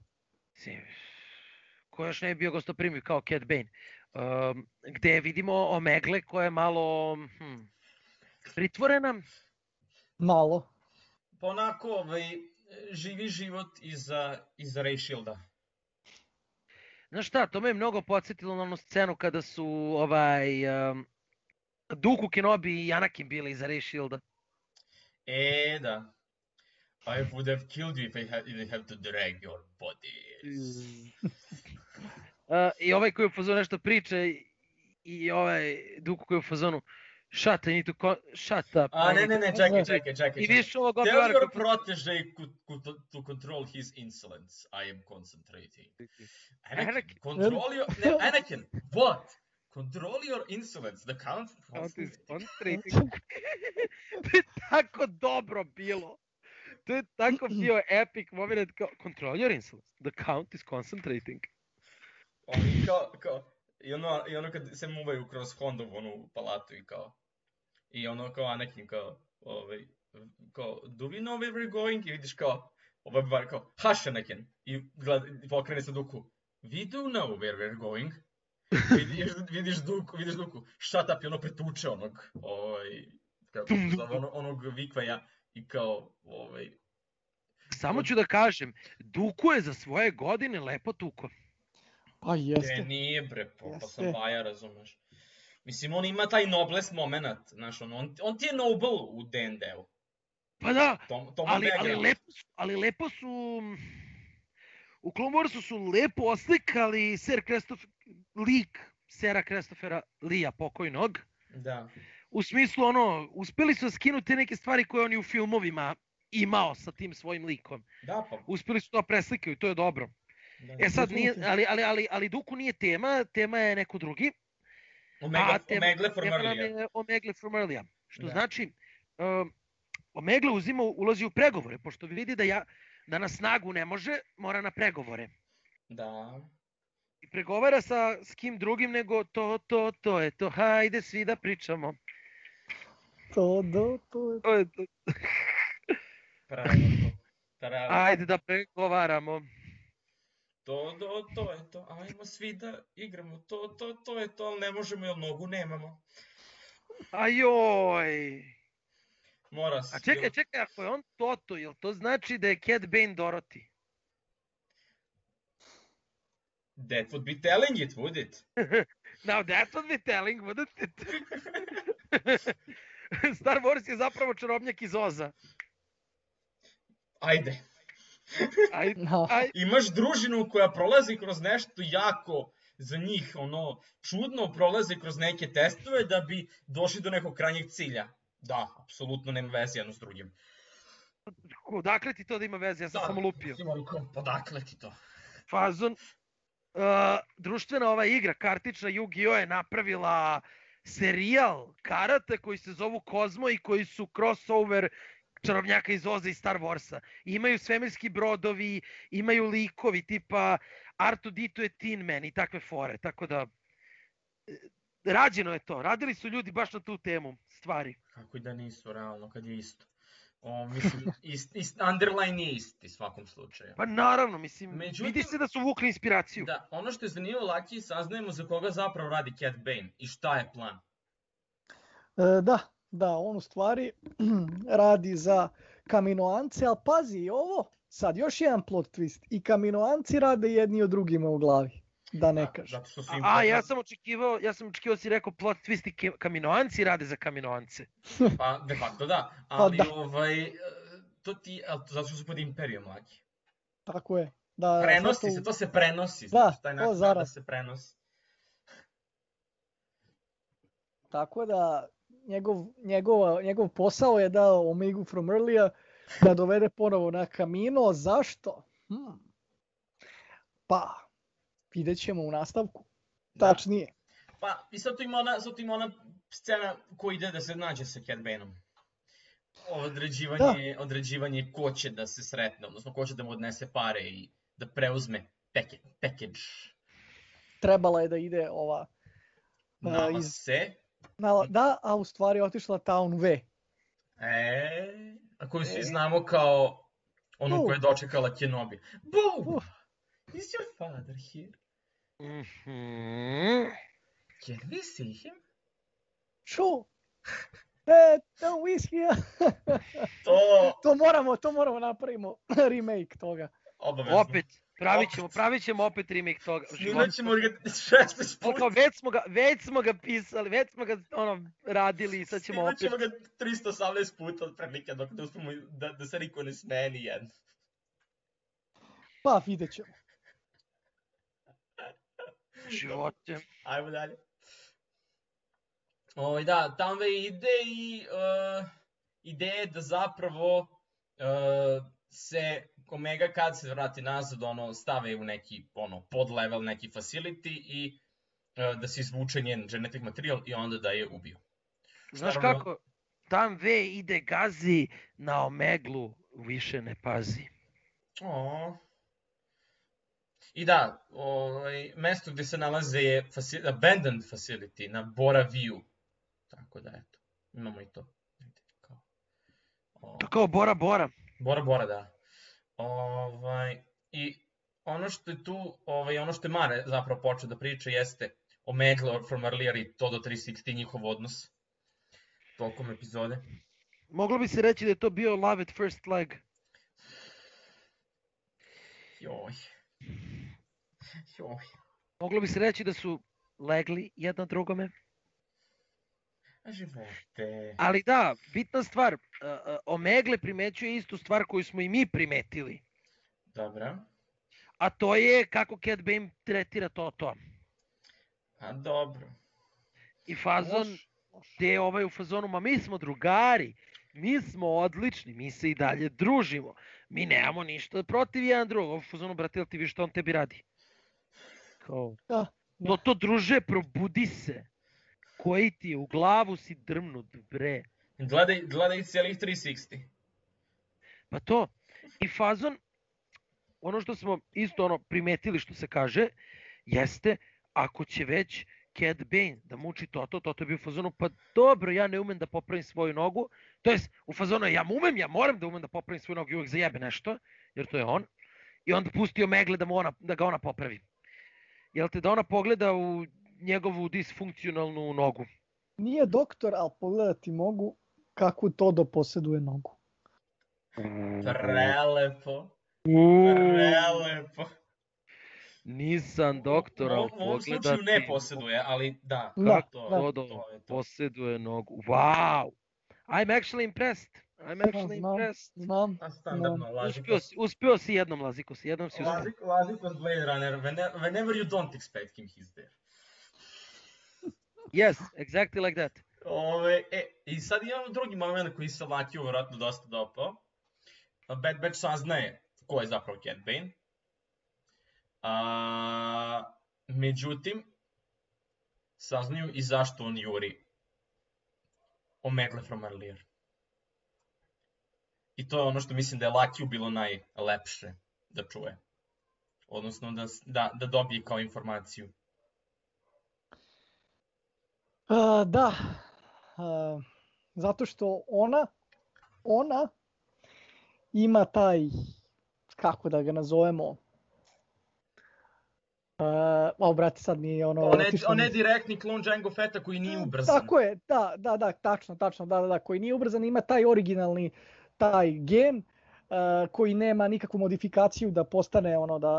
Ko još ne je bio gostoprimljiv kao Cat Bane. Gde vidimo Omegle koja je malo pritvorena. Malo. Pa onako, živi život iza Ray Shielda. Znaš šta, to me je mnogo podsjetilo na onu scenu kada su Dooku, Kenobi i Anakin bili iza Ray Shielda. Da. I would have killed you if I didn't have to drag your bodies. I ovaj koji je u fazonu nešto priča i ovaj Dooku koji je u fazonu shut up. Ne, čekaj. I vidiš ovog Tell obivara... your protege to control his insolence. I am concentrating. Anakin, Anakin, what? Control your insolence. The count is concentrating. To je tako dobro bilo. To je tako bio epic moment kao control your insolence. The count is concentrating. Oni kao i ono kad se muvaju kroz Hondovu onu palatu i kao i ono kao Anakin kao do we know where we're going? I vidiš kao bar kao hush Anakin i pokrene se Dooku. We do know where we're going. Vidiš Dooku shut up i ono pretuče onog vikvaja i kao Samo ću da kažem, Dooku je za svoje godine lepo tuko. Pa jeste. Nije bre, pa sam baja, razumeš. Mislim, on ima taj noblest moment, znaš, on ti je noble u D&D-u. Pa da, ali lepo su, u Clone Warsu su lepo oslikali lik Sera Christophera Lee-a pokojnog. Da. U smislu, uspeli su skinuti neke stvari koje on i u filmovima imao sa tim svojim likom. Da, pa. Uspeli su to preslikaju i to je dobro. Sad nije, ali Dooku nije tema je neko drugi. Omegle from tema nam earlier. je Omegle from earlier. Što Da. znači, Omegle ulazi u pregovore, pošto vidi da na snagu ne može, mora na pregovore. Da. I pregovara s kim drugim nego to je to, hajde svi da pričamo. To je to. Pravilno. Ajde da pregovaramo. To je to. Ajmo svi da igramo. To je to, ali ne možemo jer nogu nemamo. Ajoj. Mora se. A čekaj, ako je on Toto, jel to znači da je Cad Bane Dorothy? That would be telling it, would it? Now that would be telling, wouldn't it? Star Wars je zapravo čarobnjak iz Oza. Ajde. No. Imaš družinu koja prolazi kroz nešto jako za njih, čudno prolazi kroz neke testove da bi došli do nekog krajnjeg cilja. Da, apsolutno nema veze jedno s drugim. Odakle ti to da ima veze? Ja sam samo lupio. Odakle ti to? Fazon. Društvena ova igra, kartična Yu-Gi-Oh! Je napravila serijal karata koji se zovu Kozmo i koji su crossover čarobnjaka iz Oza i Star Warsa. Imaju svemirski brodovi, imaju likovi tipa R2D2 je Tin Man i takve fore. Tako da, rađeno je to. Radili su ljudi baš na tu temu stvari. Kako i da nisu, realno, kad je isto. Mislim, underline je isti, svakom slučaju. Pa naravno, mislim, Međutim, vidi se da su vukli inspiraciju. Da, ono što je zanimljivo, Laki, saznajemo za koga zapravo radi Cad Bane i šta je plan. Da, on u stvari radi za Kaminoance, ali pazi ovo, sad još jedan plot twist, i Kaminoanci rade jedni od drugima u glavi, da ne kažem. Zato što su im ja sam očekivao si rekao plot twist i Kaminoanci rade za Kaminoance. Pa, de facto da, ali zato što su pod imperijom, Laki. Tako je. Da, prenosi se, to se prenosi, da, taj način da se prenosi. Tako da, njegov posao je da Omegu from earlier da dovede ponovo na Kamino. Zašto? Pa, vidjet ćemo u nastavku. Tačnije. Pa, i sad tu ima ona scena koja ide da se nađe sa Cad Baneom. Određivanje ko će da se sretne, odnosno ko će da mu odnese pare i da preuzme package. Trebala je da ide ova... Da, a u stvari je otišla Town V. A koju svi znamo kao onu koja je dočekala Kenobi. Boom! Is your father here? Can we see him? Sure. Don't we see him? To moramo napravimo remake toga. Obavezno. Opet. Pravit ćemo opet remake toga. Snimat ćemo ga 16 puta. Već smo ga pisali, već smo ga radili i sad ćemo opet. Snimat ćemo ga 318 puta od prilike dok ne uspemo da se niko ne smeje ni jedno. Pa vidjet ćemo. Živote. Ajmo dalje. Da, tamo ide i ideja je da zapravo se Omega kad se vrati nazad stave u neki podlevel, neki facility i da se izvuče njen genetic materijal i onda da je ubiju. Znaš kako? Tam V ide gazi, na Omeglu više ne pazi. I da, mesto gde se nalaze je abandoned facility na Bora View. Tako da, eto, imamo i to. To kao Bora Bora. Bora, da. I ono što je tu, ono što je Mare zapravo počeo da priča jeste Omegle from earlier i Todo 360 njihov odnos tokom epizode. Moglo bi se reći da je to bio Love at First Leg. Joj. Moglo bi se reći da su legli jedno drugome. Živote. Ali da, bitna stvar, Omegle primećuje istu stvar koju smo i mi primetili. Dobra. A to je kako Cad Bane tretira Toto. A dobro. I fazon, gde je u fazonu, ma mi smo drugari, mi smo odlični, mi se i dalje družimo, mi nemamo ništa protiv jedan drugog. U fazonu, brate, jel ti viš što on tebi radi? Kao, to druže, probudi se. koji ti u glavu si drmnut, bre. Gledaj cijelih 360. Pa to, i fazon, ono što smo isto primetili što se kaže, jeste, ako će već Cad Bane da muči Toto je bio u fazonu, pa dobro, ja ne umem da popravim svoju nogu, to jest u fazonu ja moram da umem da popravim svoju nogu i uvek zajebe nešto, jer to je on, i onda pustio Megle da ga ona popravi. Jel te da ona pogleda u njegovu disfunkcionalnu nogu? Nije doktor, ali pogledati mogu kakvu Todo posjeduje nogu. Prelepo. Nisam doktor, ali U ovom slučaju ne posjeduje, ali da. Todo posjeduje nogu. Wow! I'm actually impressed. Znam. Standardno, Uspio si jednom, Laziko. Jednom si uspio. Laziko's Blade Runner. Whenever you don't expect him, he's there. Yes, exactly like that. I sad imamo drugi moment koji se Lakiju vjerojatno dosta dopao. Bad Batch saznaje ko je zapravo Cad Bane. Međutim, saznaju i zašto on juri Omegle from Earlier. I to je ono što mislim da je Lakiju bilo najlepše da čuje. Odnosno da dobije kao informaciju. Da, zato što ona ima taj, kako da ga nazovemo, brate, sad mi je On je direktni klon Jango Fetta koji nije ubrzan. Tako je, da, tačno, da, koji nije ubrzan, ima taj originalni, taj gen, koji nema nikakvu modifikaciju da postane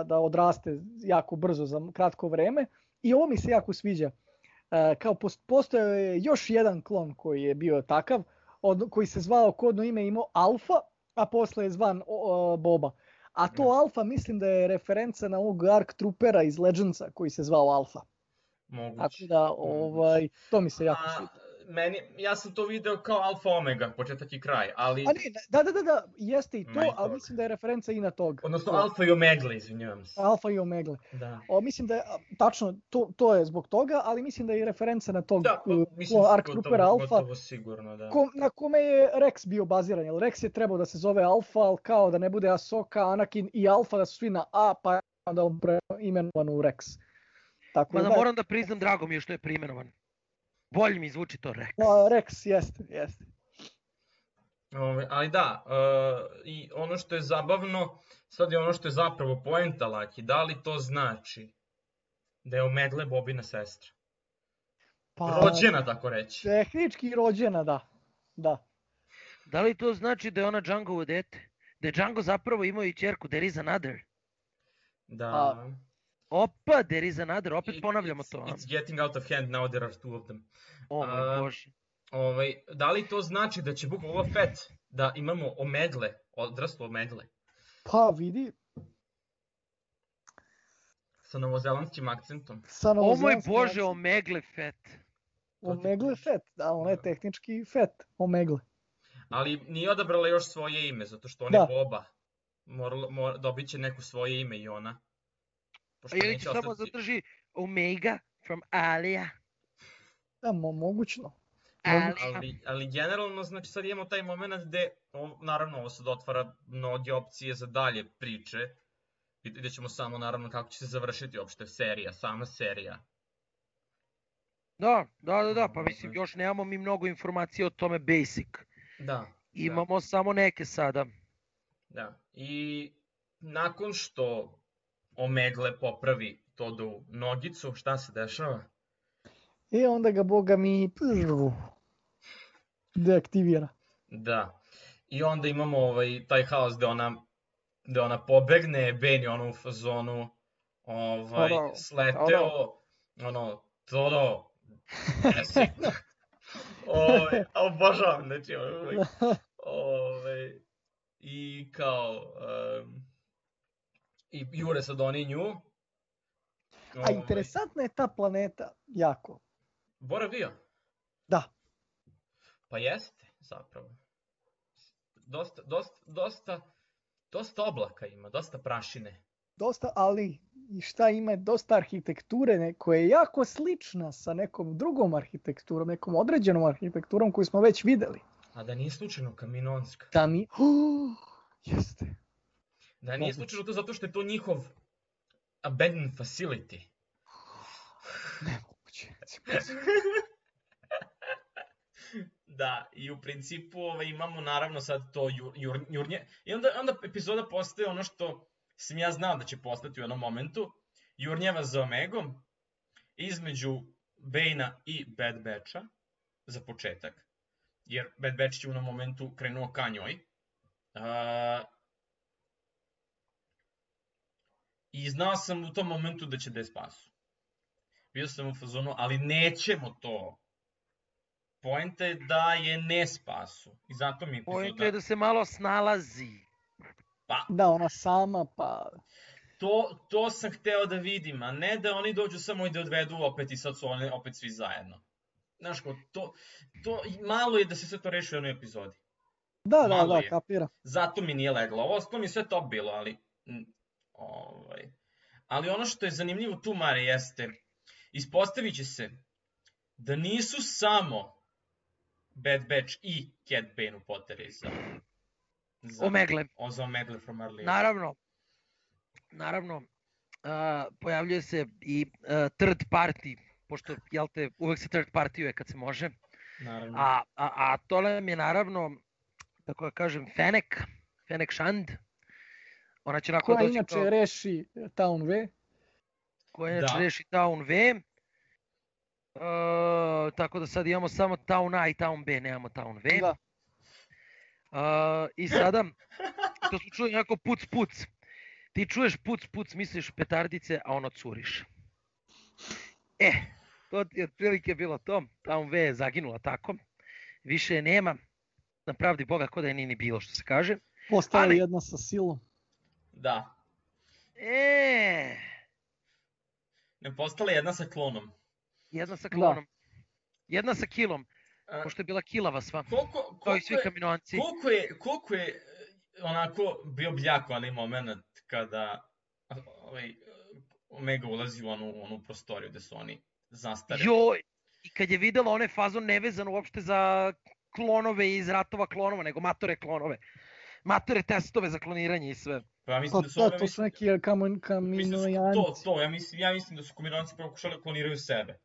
da odraste jako brzo za kratko vreme. I ovo mi se jako sviđa. Kao postojao je još jedan klon koji je bio takav, koji se zvao kodno ime imao Alfa, a posle je zvan Boba. A to Alfa mislim da je referenca na ovog Ark Troopera iz Legendsa koji se zvao Alfa. Moguće. Tako da, to mi se jako sviđa. Ja sam to video kao Alfa Omega, početak i kraj, ali... Da, jeste i to, ali mislim da je referenca i na tog. Odnosno Alfa i Omegle, izvinjavam se. Alfa i Omegle. Mislim da je, tačno, to je zbog toga, ali mislim da je i referenca na tog Ark Troopera Alfa, na kome je Rex bio baziran, jer Rex je trebao da se zove Alfa, ali kao da ne bude Ahsoka, Anakin i Alfa, da su svi na A, pa je onda on preimenovan u Rex. Mada moram da priznam, drago mi je što je preimenovan. Bolje mi zvuči to Rex. Rex, jeste. Ali da, i ono što je zabavno, sad je ono što je zapravo poenta Laki, da li to znači da je Omegle Bobina sestra? Rođena, tako reći. Tehnički rođena, da. Da li to znači da je ona Djangovo dete? Da je Django zapravo imao i ćerku, there is another? Da. Opa, there is another, opet ponavljamo to. It's getting out of hand, now there are two of them. O moj Bože. Da li to znači da će Boba Fett da imamo Omegle, odraslo Omegle? Pa vidi. Sa novozelandskim akcentom. O moj Bože, Omegle Fett. Omegle Fett, da, ona je tehnički Fett, Omegle. Ali nije odabrala još svoje ime, zato što on je Boba. Dobit će neko svoje ime i ona. Ili će samo zadrži Omega from Alia. Da, mogućno. Ali generalno, znači sad imamo taj moment gde, naravno ovo sad otvara mnoge opcije za dalje priče. Vidjet ćemo samo naravno kako će se završiti uopšte sama serija. Da, pa mislim još nemamo mi mnogo informacija o tome basic. Da. Imamo samo neke sada. Da, i nakon što Omegle popravi Todovu nogicu, šta se dešava? I onda ga Boga mi deaktivira. Da, i onda imamo taj haos gde ona pobegne, Bane je ono u fazonu sleteo, Todo, jesi. Obožavam, znači, i kao, i jure sad oni nju. A interesantna je ta planeta, jako. Boravio? Da. Pa jeste, zapravo. Dosta oblaka ima, dosta prašine. dosta, ali i šta ima dosta arhitekture koja je jako slična sa nekom drugom arhitekturom, nekom određenom arhitekturom koju smo već videli. A da nije slučajno Kaminonska. Da mi... jeste. Da nije slučajno to zato što je to njihov abandoned facility. Nemoguće. Da, i u principu imamo naravno sad to jurnje. I onda epizoda postaje ono što sam ja znao da će postati u jednom momentu. Jurnjeva za Omegom između Bane-a i Bad Batcha za početak. Jer Bad Batch je u jednom momentu krenuo ka njoj. I znao sam u tom momentu da će da je spasu. Bio sam u fazonu, ali nećemo to. Poenta je da je ne spasu. I zato mi epizoda... Poenta je da se malo snalazi. Pa, Da, ona sama, pa... To sam hteo da vidim, a ne da oni dođu samo i da odvedu opet i sad su oni opet svi zajedno. Znaš ko, to malo je da se sve to reši u jednoj epizodi. Da, kapira. Zato mi nije leglo. Ovo mi je sve top bilo, ali... Ali ono što je zanimljivo tu, Mare, jeste... Ispostavit će se da nisu samo Bad Batch i Cad Bane u poteri za Omegle. Za Omegle from Arlene. Naravno, pojavljuje se i third party, pošto, jel te, uvek se third party-uje kad se može. Naravno. A to nam je naravno, tako da kažem, Fennec Shand. Ona će nakon koja doći inače kao... reši Town V. Koja inače reši Town V. Tako da sad imamo samo Town A i Town B, nemamo Town V. Da. I sada, to smo čuli nekako puc. Ti čuješ puc, misliš petardice, a ono curiš. To ti je otprilike bilo to. Town V je zaginula tako. Više je nema. Na pravdi Boga, ko da je ni bilo, što se kaže. Postala jedna sa silom. Da. Ne, postala jedna sa klonom. Jedna sa klonom. Jedna sa kilom. Pošto je bila kilava sva. Kao i svi kaminoanci. Koliko je onako bio bljako onaj moment kada Omega ulazi u onu prostoriju gde su oni zastareli. Joj! I kad je videla onaj fazon nevezan uopšte za klonove iz ratova klonova, nego matore klonove. Matore testove za kloniranje i sve. Pa mislim da su to su neki kaminojanci. Ja mislim da su kaminojanci pokušali da kloniraju sebe.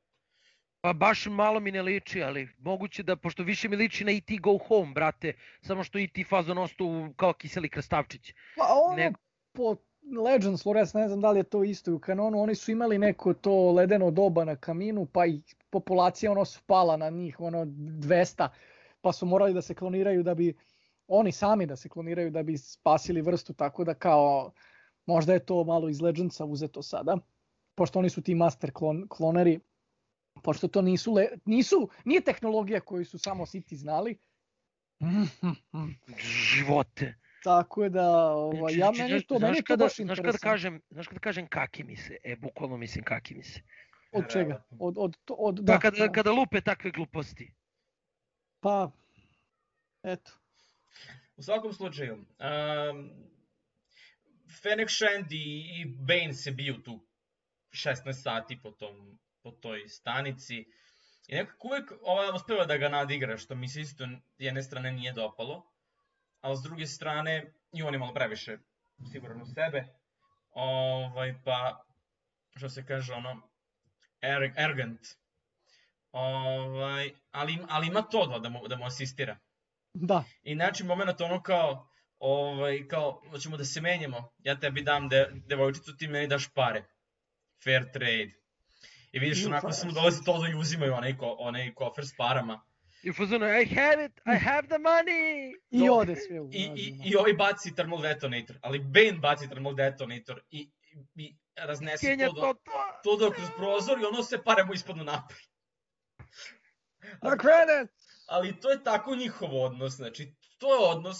Pa baš malo mi ne liči, ali moguće da, pošto više mi liči na E.T. Go Home, brate, samo što E.T. fazon ostao kao kiseli krastavčić. Pa ono, po Legends lore, ne znam da li je to isto u kanonu, oni su imali neko to ledeno doba na kaminu, pa i populacija ono spala na njih, 200, pa su morali da se kloniraju da bi, oni sami da se kloniraju da bi spasili vrstu, tako da kao, možda je to malo iz Legendsa uzeto sada, pošto oni su ti master kloneri, pošto to nije tehnologija koju su samo Sith znali. Živote. Tako da, meni to baš interesantno. Znaš kada kažem kaki mi se, bukvalno mislim kaki mi se. Od čega? Da. Kada lupe takve gluposti. Pa, eto. U svakom slučaju, Fennec Shand i Bane se biju tu 16 sati po toj stanici. I nekako uvek uspeva da ga nadigra, što mi se isto jedne strane nije dopalo. Ali s druge strane, i on je malo previše siguran u sebe. Pa, što se kaže, arrogant. Ali ima to da mu asistira. Da. I znači moment kao, hoćemo da se menjamo, ja tebi dam devojčicu, ti meni daš pare. Fair trade. I vidiš, onako samo dolazi to da uzimaju onaj kofer s parama. I fazonu, I have it, I have the money! I ode sve u I ovaj baci thermal detonator, ali Bane baci thermal detonator i raznese to kroz prozor i ono sve pare mu ispadnu napred. Na credit! Ali to je tako njihov odnos, znači to je odnos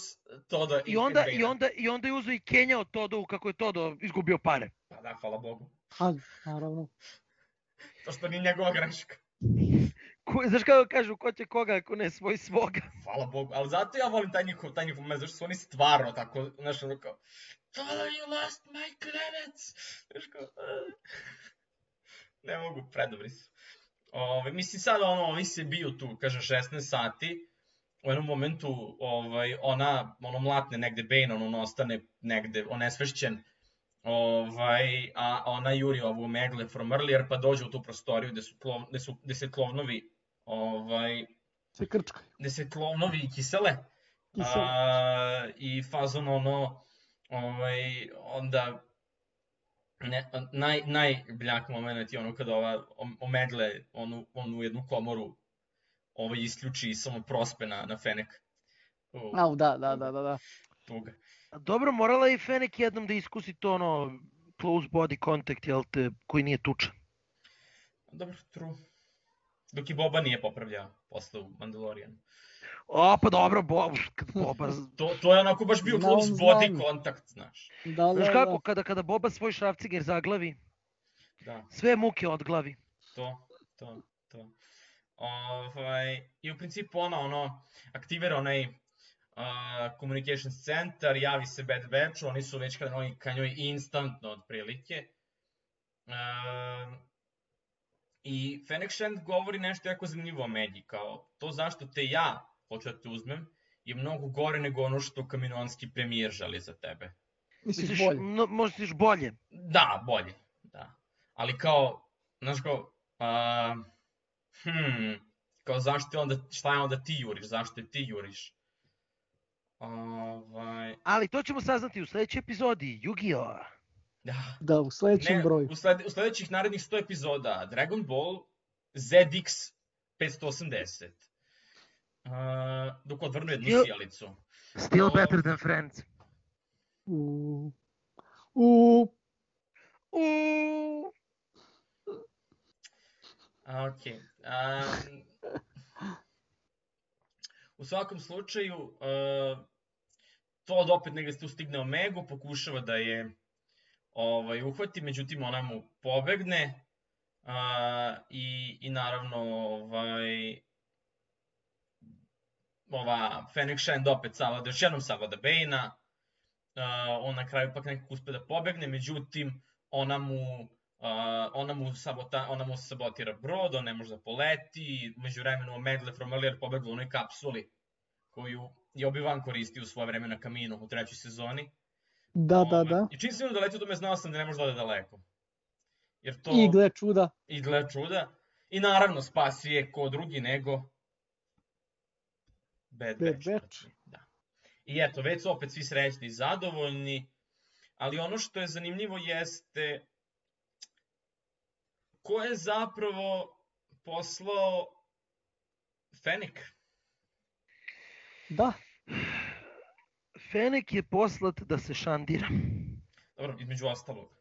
Toda i Bane-a. I onda je uzeo i kenjao Todovu kako je Todo izgubio pare. Pa da, hvala Bogu. Naravno. To što nije njegova greška. Znaš kako kažu, ko će koga ako ne svoj svoga? Hvala Bogu, ali zato ja volim taj njihov moment, zašto su oni stvarno tako, znaš, ono kao, Tola, you lost my klevets! Znaš kao, ne mogu, predobri su. Mislim, sad ovi se biju tu, kažem, 16 sati, u jednom momentu ona mlatne negde Bane, on ostane negde onesvešćen, a ona juri ovu Megle from earlier, pa dođe u tu prostoriju gde se klovnovi Se krčkaju. gde se klovnovi kisele. I fazon onda najbljak moment je ono kada ova Omegle onu jednu komoru isključi i samo prospe na Fenek. Da. Tuga. Dobro, morala je i Fenek jednom da iskusi to close body contact, jel te, koji nije tučan. Dobro, true. Dok i Boba nije popravljao posle u Mandalorianu. Pa dobro, Boba... To je onako baš bio close body kontakt, znaš. Znaš kako, kada Boba svoj šrafciger zaglavi, sve muke odglavi. To. I u principu ona aktivira onaj communications centar, javi se Bad Batchu, oni su već ka njoj instantno otprilike. I Fennec Shand govori nešto jako zanimljivo o Megi, kao to zašto te ja hoću da te uzmem je mnogo gore nego ono što Kaminoanski premijer želi za tebe. Misliš bolje? Misliš bolje? Da, bolje, da. Ali kao, znaš kao, kao zašto onda, šta je onda ti juriš, zašto je ti juriš? Ali to ćemo saznati u sledećoj epizodi, Yu-Gi-Oh! Da, u sledećem broju. U sledećih narednih 100 epizoda Dragon Ball ZX 580. Dok odvrnu jednu sjelicu. Still better than Friends. Ok. U svakom slučaju, Todd opet negde tu stigne Omegu, pokušava da je uhvati, međutim ona mu pobegne i naravno ova Fennec Shand opet još jednom savlada Bane-a, on na kraju pak nekako uspe da pobegne, međutim ona mu sabotira brod, on ne može da poleti, među vremenu Megle from earlier pobegla u onoj kapsuli koju je Obi-Wan koristio u svoje vreme na Kaminu u 3. sezoni. Da. I čim sam da leti do me znao sam da ne može da ode daleko. I gle čuda. I naravno spasi je ko drugi nego Bad Batch. I eto, već su opet svi srećni i zadovoljni, ali ono što je zanimljivo jeste ko je zapravo poslao Fennec? Da. Fennec je poslat da se šandira. Dobro, između ostalog.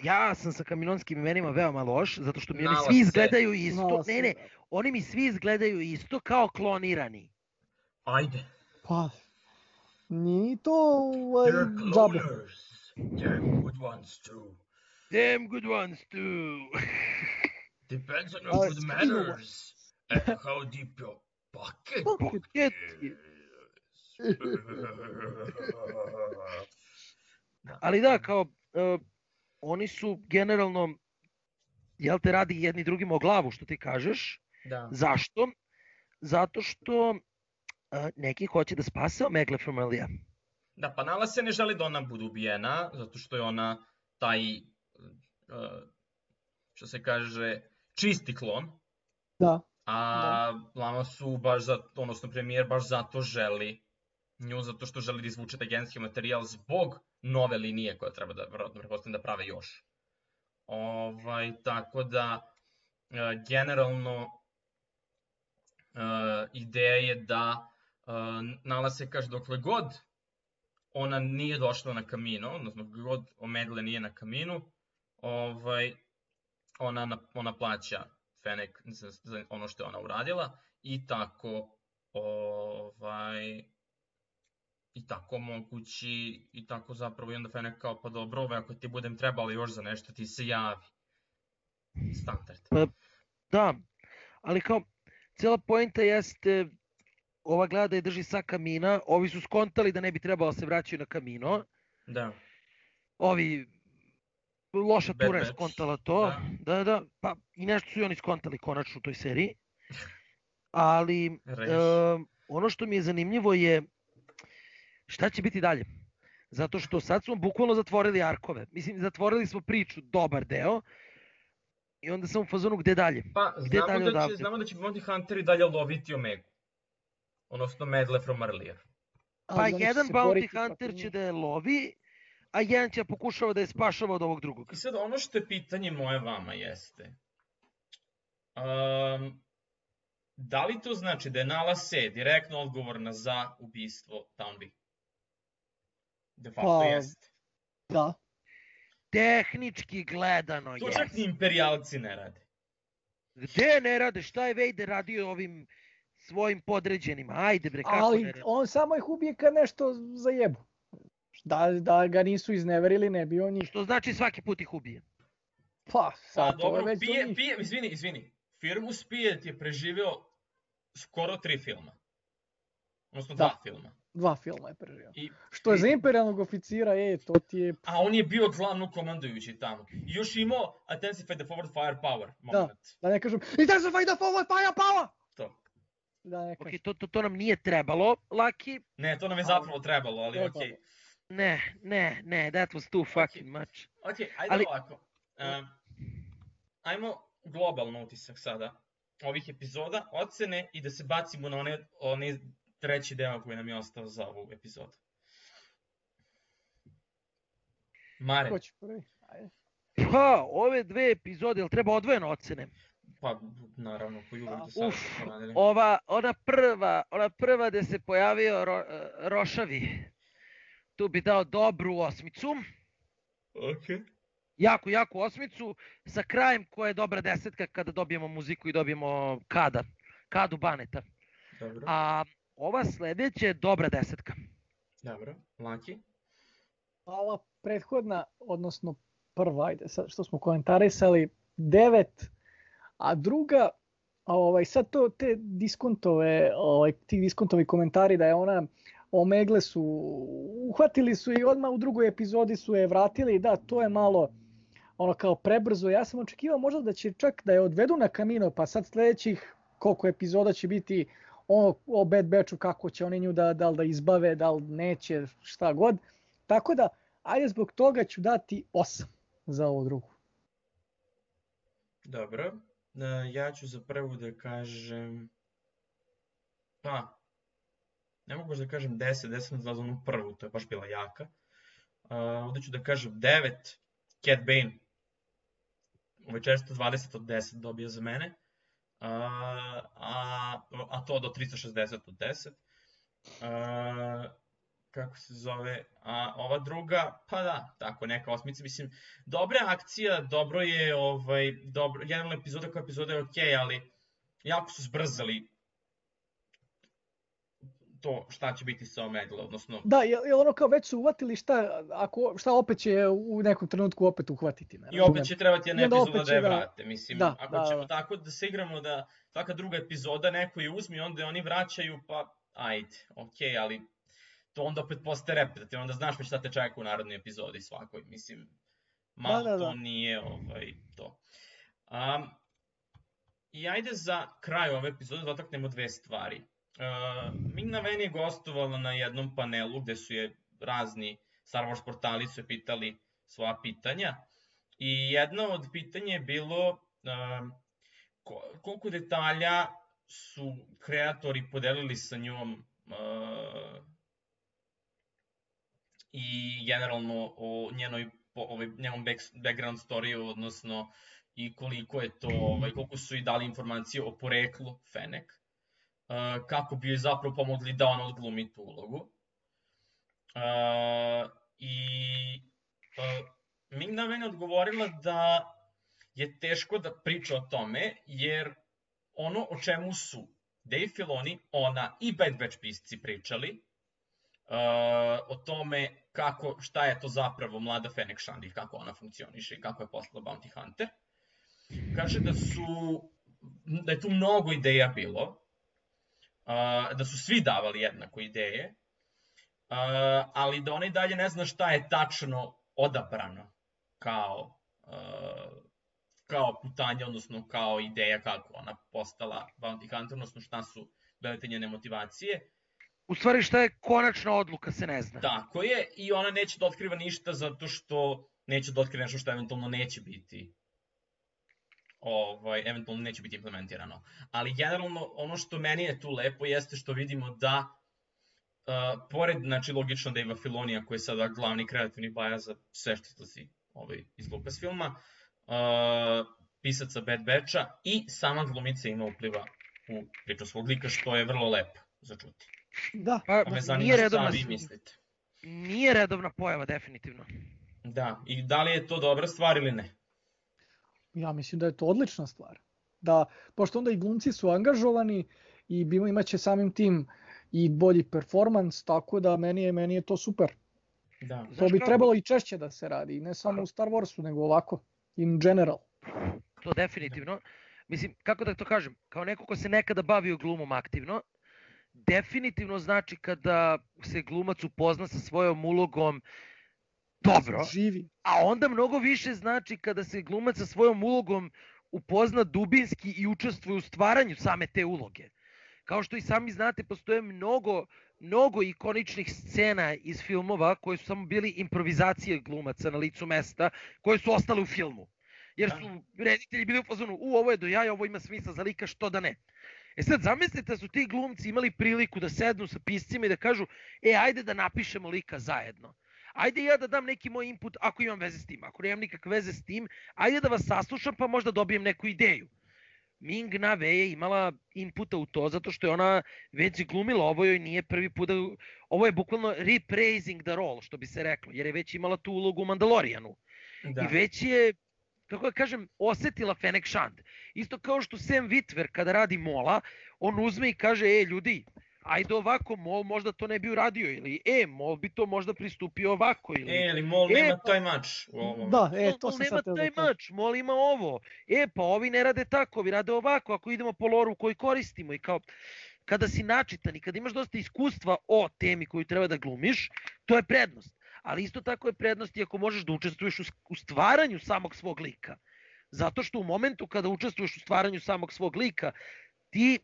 Ja sam sa kaminonskim imenima veoma loš, zato što mi oni svi izgledaju isto. Ne, oni mi svi izgledaju isto kao klonirani. Ajde. Pa, nije to They're cloners. Damn good ones too. Depends on your good manners. And how deep your pocket is. Ali da, kao, oni su generalno, jel te, radi jedni drugima o glavu, što ti kažeš. Da. Zašto? Zato što neki hoće da spase Omegle from earlier. Da, pa Nala se ne želi da ona bude ubijena, zato što je ona taj, što se kaže, čisti klon. Da. A Lama su baš zato, odnosno premijer baš zato želi nju, zato što želi da izvuče taj genetski materijal zbog nove linije koja treba da, verovatno pretpostavljam, da prave još. Tako da, generalno, ideja je da Nala se kaže dokle god ona nije došla na Kamino, odnosno dokle god Omegle nije na Kaminu, ona plaća Fennec za ono što je ona uradila i tako mogući i tako zapravo i onda Fennec kao pa dobro, ako ti budem trebala još za nešto ti se javi. standard. Pa, da, ali kao, cijela poenta jeste, ova gleda da je drži sa kamina, ovi su skontali da ne bi trebalo se vraćaju na kamino, Da. ovi, loša Bad tura je Batch, skontala to, da, pa i nešto su i oni skontali konačno u toj seriji, ali ono što mi je zanimljivo je šta će biti dalje. Zato što sad smo bukvalno zatvorili arkove. Mislim, zatvorili smo priču, dobar deo, i onda sam u fazonu gde dalje. Pa, Gde dalje odavde? znamo da će Bounty Hunteri dalje loviti Omegu. Odnosno Medle from Earlier. Pa Ali oni će jedan se Bounty boriti Hunter protiv će njih. da je lovi, a jedan će pokušava da je spašava od ovog drugog. I sad ono što je pitanje moje vama jeste, da li to znači da je Nala Se direktno odgovorna za ubistvo Townby? De facto Pa, jeste. Da. Tehnički gledano To čak ni imperijalci ne rade. Gde ne rade? Šta je Vader radio ovim svojim podređenima? Ajde bre, kako ne Ali rade? on samo ih ubije kad nešto zajebu. Da ga nisu izneverili, ne bi on njih. Što znači svaki put ih ubije. Pa, Pa sad to je dobro, već do njih. izvini. Firmus Pijet je preživeo skoro 3 filma. Odnosno 2 filma. 2 filma je preživio. I, Što je za imperijalnog oficira, to ti je... A on je bio glavno komandujući tamo. I još imao Intensify the Forward Firepower moment. Da ne kažem, Intensify the forward firepower! To. Da ne kažem. Ok, to nam nije trebalo, Laki. Ne, to nam je zapravo trebalo, ali Trebalo. okej. Ne, that was too fucking much. Okej, ajde Ali- ovako. Ajmo globalno utisak sada ovih epizoda, ocene i da se bacimo na onaj treći deo koji nam je ostao za ovu epizodu. Mare, Ko će prvi? Ajde. Pa, ove dve epizode, jel treba odvojeno ocene? pa naravno, koji uvek do sada Uf, su radili. ona prva gde se pojavio Rošavi, tu bi dao dobru 8. Okej. Jaku 8 sa krajem koja je dobra 10 kada dobijemo muziku i dobijemo Kadu Baneta. Dobro, A ova sledeća je dobra 10. dobro. Laki? A ova prethodna, odnosno prva, ajde, sad što smo komentarisali, 9, a druga, sad to te diskontove, ti diskontovi komentari da je ona Omegle su, uhvatili su i odmah u drugoj epizodi su je vratili, da, to je malo ono kao prebrzo. Ja sam očekivao možda da će čak da je odvedu na Kamino, pa sad sledećih koliko epizoda će biti o Bad Batchu, kako će oni nju da li da izbave, da li neće, šta god. Tako da, ajde zbog toga ću dati 8 za ovu drugu. Dobro. Ja ću za prvu da kažem... Pa, ne mogu baš da kažem 10 za onu prvu, to je baš bila jaka. Ovdje ću da kažem 9, Cad Bane. Ovo je često 20 od 10 dobio za mene. A to do 360 od 10. Kako se zove? A ova druga, pa da, tako neka 8. Mislim, dobra akcija, dobro je, generalno epizoda je okej, ali jako su zbrzali to šta će biti sa Omegle, odnosno... Da, jer ono kao već su uvatili šta opet će u nekom trenutku opet uhvatiti. Ne, I opet će trebati jedna epizoda da je vrate. Mislim, da, ako ćemo tako da se igramo da svaka druga epizoda neko je uzme i onda oni vraćaju, pa ajde, okej, ali to onda opet postaje repetitivno, onda znaš već šta te čeka u narodnoj epizodi svakoj, mislim, malo to nije to. I ajde za kraj ove epizode dotaknemo dve stvari. Ming-Na Wen je gostovala na jednom panelu gde su je razni Star Wars portali su je pitali svoja pitanja i jedno od pitanja je bilo koliko detalja su kreatori podelili sa njom i generalno o njenom background storiju, odnosno i koliko je to, koliko su i dali informacije o poreklu Fennec, kako bi joj zapravo pomogli da ona odglumi tu ulogu. Ming-Na Wen je odgovorila da je teško da priča o tome, jer ono o čemu su Dave Filoni, ona i Bad Batch pisci pričali, o tome šta je to zapravo mlada Fennec Shand i kako ona funkcioniše i kako je postala Bounty Hunter, kaže da je tu mnogo ideja bilo, da su svi davali jednako ideje, ali da ona i dalje ne zna šta je tačno odabrano kao putanje, odnosno kao ideja kako ona postala Bounty Hunter, odnosno šta su bile te njene motivacije. U stvari šta je konačna odluka se ne zna. Tako je, i ona neće da otkriva ništa zato što neće da otkriva nešto što eventualno neće biti eventualno neće biti implementirano. Ali generalno ono što meni je tu lepo jeste što vidimo da pored, znači logično Dave Filonija koji je sada glavni kreativni baja za sve što izlazi iz Lucasfilma, pisaca Bad Batcha i sama glumica ima upliva u priču svog lika, što je vrlo lepo za čuti. Da, pa me zanima šta vi mislite. Nije redovna pojava, definitivno. Da, i da li je to dobra stvar ili ne? Ja mislim da je to odlična stvar. Da, pošto onda i glumci su angažovani i imaće samim tim i bolji performans, tako da meni je to super. Da. To bi trebalo i češće da se radi, ne samo u Star Warsu, nego ovako, in general. To definitivno. Mislim, kako da to kažem, kao neko ko se nekada bavio glumom aktivno, definitivno znači kada se glumac upozna sa svojom ulogom dobro, živi. A onda mnogo više znači kada se glumac sa svojom ulogom upozna dubinski i učestvuje u stvaranju same te uloge. Kao što i sami znate, postoje mnogo ikoničnih scena iz filmova koje su samo bili improvizacije glumaca na licu mesta, koje su ostale u filmu. Jer su reditelji bili u fazonu, ovo je do jaja, ovo ima smisla za lika, što da ne. E sad, zamislite da su ti glumci imali priliku da sednu sa piscima i da kažu, ajde da napišemo lika zajedno. Ajde ja da dam neki moj input ako imam veze s tim. Ako nemam nikakve veze s tim, ajde da vas saslušam pa možda dobijem neku ideju. Ming-Na Wen je imala inputa u to zato što je ona već glumila, ovo joj nije prvi put, ovo je bukvalno rephrasing the role, što bi se reklo, jer je već imala tu ulogu u Mandalorijanu. Da. I već je, kako da kažem, osetila Fennec Shand. Isto kao što Sam Witwer kada radi Mola, on uzme i kaže, ljudi, ajde ovako, Mol možda to ne bi uradio, ili Mol bi to možda pristupio ovako, ili Mol nema taj mač u ovom. Da, to sam sad nema taj mač, Mol ima ovo, pa ovi ne rade tako, ovi rade ovako, ako idemo po loru koji koristimo. I kao, kada si načitan i kada imaš dosta iskustva o temi koju treba da glumiš, to je prednost. Ali isto tako je prednost i ako možeš da učestvuješ u stvaranju samog svog lika. Zato što u momentu kada učestvuješ u stvaranju samog svog lika, ti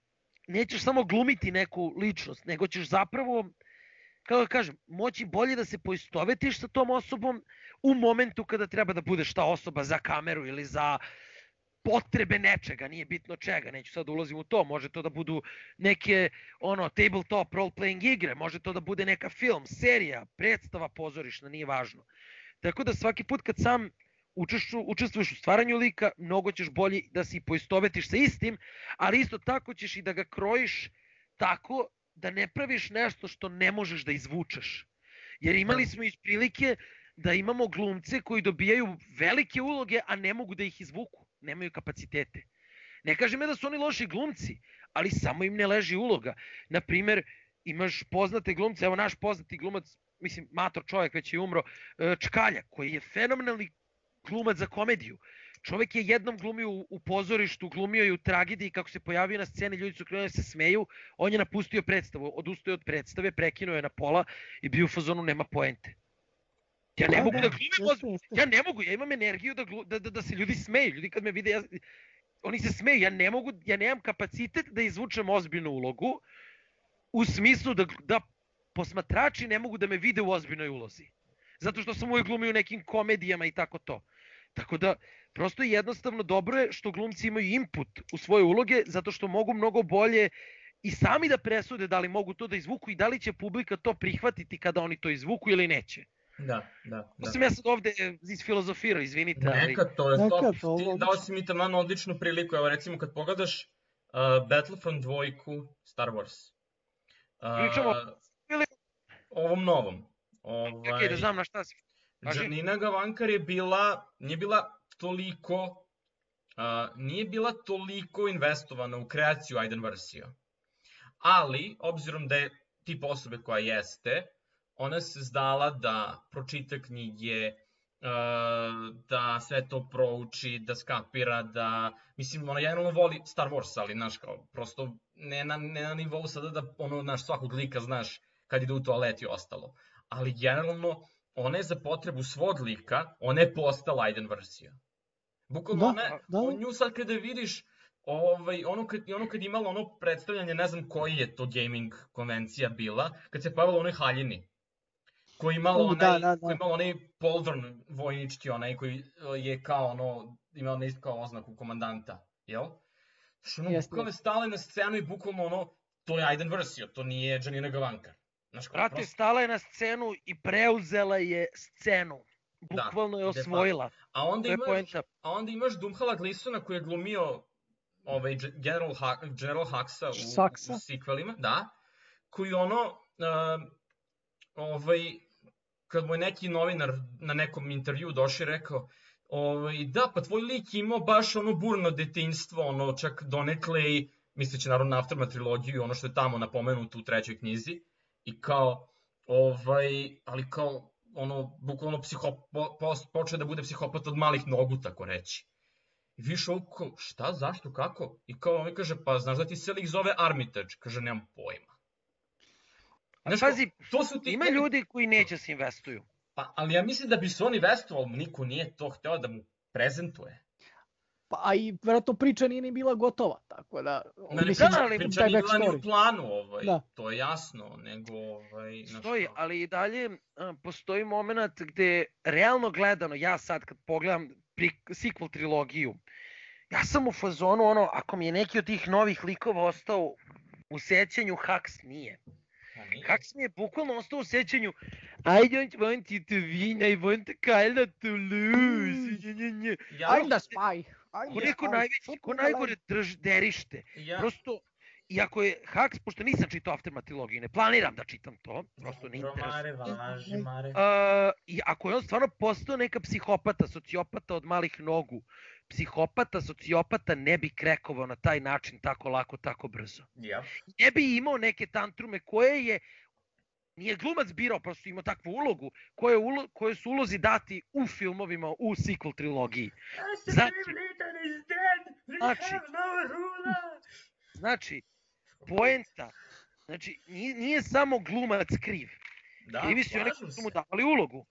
nećeš samo glumiti neku ličnost, nego ćeš zapravo, kako da kažem, moći bolje da se poistovetiš sa tom osobom u momentu kada treba da budeš ta osoba za kameru ili za potrebe nečega, nije bitno čega, neću sad ulazim u to, može to da budu neke tabletop role-playing igre, može to da bude neka film, serija, predstava pozorišna, nije važno. Tako da svaki put kad sam učestvuješ u stvaranju lika, mnogo ćeš bolje da se poistovetiš sa istim, ali isto tako ćeš i da ga krojiš tako da ne praviš nešto što ne možeš da izvučeš. Jer imali smo iz prilike da imamo glumce koji dobijaju velike uloge, a ne mogu da ih izvuku, nemaju kapacitete. Ne kažem da su oni loši glumci, ali samo im ne leži uloga. Naprimer, imaš poznate glumce, evo naš poznati glumac, mislim, mator čovjek, već je umro, Čkalja, koji je fenomenalni glumac za komediju. Čovjek je jednom glumio u pozorištu, glumio je u tragediji, kako se pojavio na sceni, ljudi su krenuli da se smeju, on je napustio predstavu, odustao od predstave, prekinuo je na pola i bio u fazonu nema poente. Ja ne mogu da glumim, ja ne mogu, ja imam energiju da se ljudi smeju, ljudi kad me vide, oni se smeju, ja nemam kapacitet da izvučem ozbiljnu ulogu, u smislu da posmatrači ne mogu da me vide u ozbiljnoj ulozi. Zato što sam uvijek glumio u nekim komedijama i tako to. Tako da, prosto jednostavno dobro je što glumci imaju input u svoje uloge, zato što mogu mnogo bolje i sami da presude da li mogu to da izvuku i da li će publika to prihvatiti kada oni to izvuku ili neće. Da. To sam ja sad ovde isfilozofirao, izvinite. Neka, to je top. Dao si mi taman odličnu priliku. Evo recimo kad pogledaš Battlefront 2 Star Wars. Pričamo ovom novom. Ok, da znam na šta si. Janina Gavankar nije bila toliko investovana u kreaciju Aiden Versio. Ali, obzirom da je tip osobe koja jeste, ona se zdala da pročita knjige, da sve to prouči, da skapira, da... Mislim, ona generalno voli Star Wars, ali, znaš, kao, prosto ne na nivou sada da, ono, znaš, svakog lika, znaš, kad ide u toalet i ostalo. Ali, generalno, ona je za potrebu svog lika, ona je postala Aiden versija. Bukvalno, nju sad kada vidiš, ono kad imala ono predstavljanje, ne znam koji je to gaming konvencija bila, kad se pojavila onoj haljini, koji je imala onaj poldron vojnički, onaj koji je kao ono, imao nešto kao oznaku komandanta, jel? Što ono, bukvalno je stala na scenu i bukvalno ono, to je Aiden versija, to nije Janina Gavankar. Brate, stala je na scenu i preuzela je scenu. Bukvalno je osvojila. A onda imaš Domhnalla Gleesona koji je glumio General Huxa u sequelima, da, koji ono, kad mu je neki novinar na nekom intervju došao i rekao, da, pa tvoj lik imao baš ono burno detinjstvo, ono čak donekle i, misleći naravno na Aftermath trilogiju, ono što je tamo napomenuto u 3. knjizi, i kao, ali kao, ono, bukvalno počeo da bude psihopat od malih nogu, tako reći. I više ovo, šta, zašto, kako? I kao on mi kaže, pa znaš da ti se lik zove Armitage? Kaže, nemam pojma. Pazi, ima ljudi koji neće se investuju. Pa, ali ja mislim da bi se on investovao, niko nije to hteo da mu prezentuje. Pa, a i vjerojatno priča nije ni bila gotova, tako da... Priča nije bila ni u planu, to je jasno, nego... Stoji, ali i dalje postoji moment gde, realno gledano, ja sad kad pogledam sequel trilogiju, ja sam u fazonu, ono, ako mi je neki od tih novih likova ostao u sećanju, Hux nije. Hux mi je bukvalno ostao u sećanju I don't want you to win, I want Kylo to lose. I'm the spy. Ko najgore derište. Prosto, iako je Hux, pošto nisam čitao Aftermath trilogiju, ne planiram da čitam to, prosto ne interesuje. I ako je on stvarno postao neka psihopata, sociopata od malih nogu, psihopata, sociopata ne bi krekovao na taj način tako lako, tako brzo. Ne bi imao neke tantrume koje je, nije glumac birao, prosto imao takvu ulogu, koje su ulozi dati u filmovima, u sequel trilogiji. Znači, poenta, znači, nije samo glumac kriv. Krivi su oni koji su mu davali ulogu.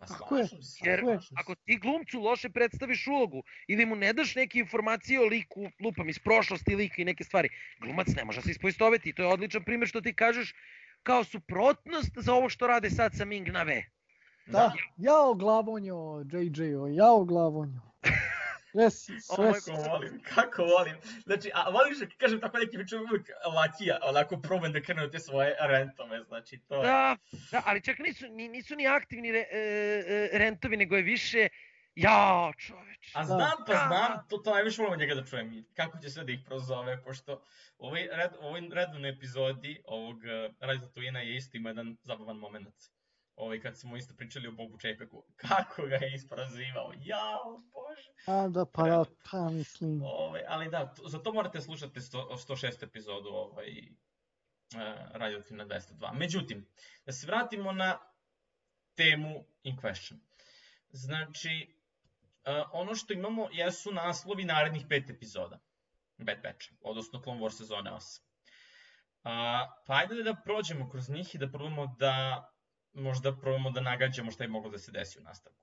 Jer ako ti glumcu loše predstaviš ulogu ili mu ne daš neke informacije o liku, lupam iz prošlosti lika i neke stvari, glumac ne može se ispoistoveti. To je odličan primjer što ti kažeš kao suprotnost za ovo što rade sad sa Ming Na Ve. Da, jao glavonjo, JJ-o, jao glavonjo. Kako volim. Znači, a volim što kažem tako neki priču uvijek lakija, onako probam da krenu te svoje rentove, znači to... Da, ali čak nisu ni aktivni rentovi, nego je više, jao čoveč. A znam, to najviše volim njega da čujem, kako će sve da ih prozove, pošto u ovoj redovnoj epizodi ovog Radio Tatuina je isto ima jedan zabavan moment. Kad smo isto pričali o Bobu Čepeku, kako ga je isprozivao, jao, bože. A da, pa mislim. Ali da, za to morate slušati 106. epizodu Radio Tatuina 202. Međutim, da se vratimo na temu In Question. Znači, ono što imamo jesu naslovi narednih 5 epizoda Bad Batcha, odnosno Clone Wars sezone 8. Pa ajde da prođemo kroz njih i da probamo da nagađamo šta je moglo da se desi u nastavku.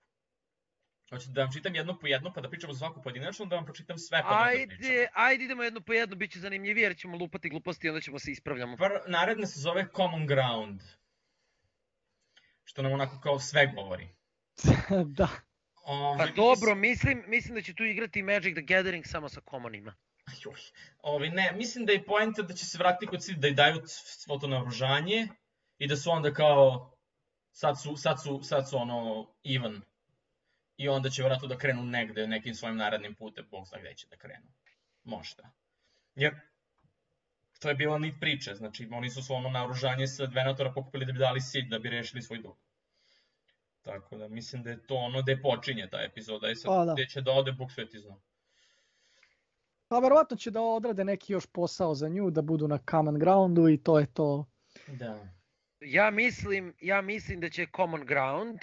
Hoćete da vam čitam jedno po jedno, pa da pričamo svaku pojedinačno, da vam pročitam sve pa da pričamo. Ajde, idemo jedno po jedno, bit će zanimljivije, jer ćemo lupati gluposti i onda ćemo se ispravljamo. Naredna se zove Common Ground, što nam onako kao sve govori. Da. Pa dobro, mislim da će tu igrati Magic the Gathering samo sa commonima. Ne, mislim da je poenta da će se vratiti kod cilj, da i daju svo to naoružanje i da su onda kao, sad su ono even. I onda će vratno da krenu negde nekim svojim narednim putem, Bog zna gde će da krenu. Možda. Jer to je bila nit priče, znači oni su svo ono naoružanje sa Venatora pokupili da bi dali Sid, da bi rešili svoj dug. Tako da mislim da je to ono gde počinje ta epizoda i sad gde će da ode, Bog sveti zna. Pa verovatno će da odrade neki još posao za nju, da budu na Common Groundu i to je to. Da. Ja mislim da će Common Ground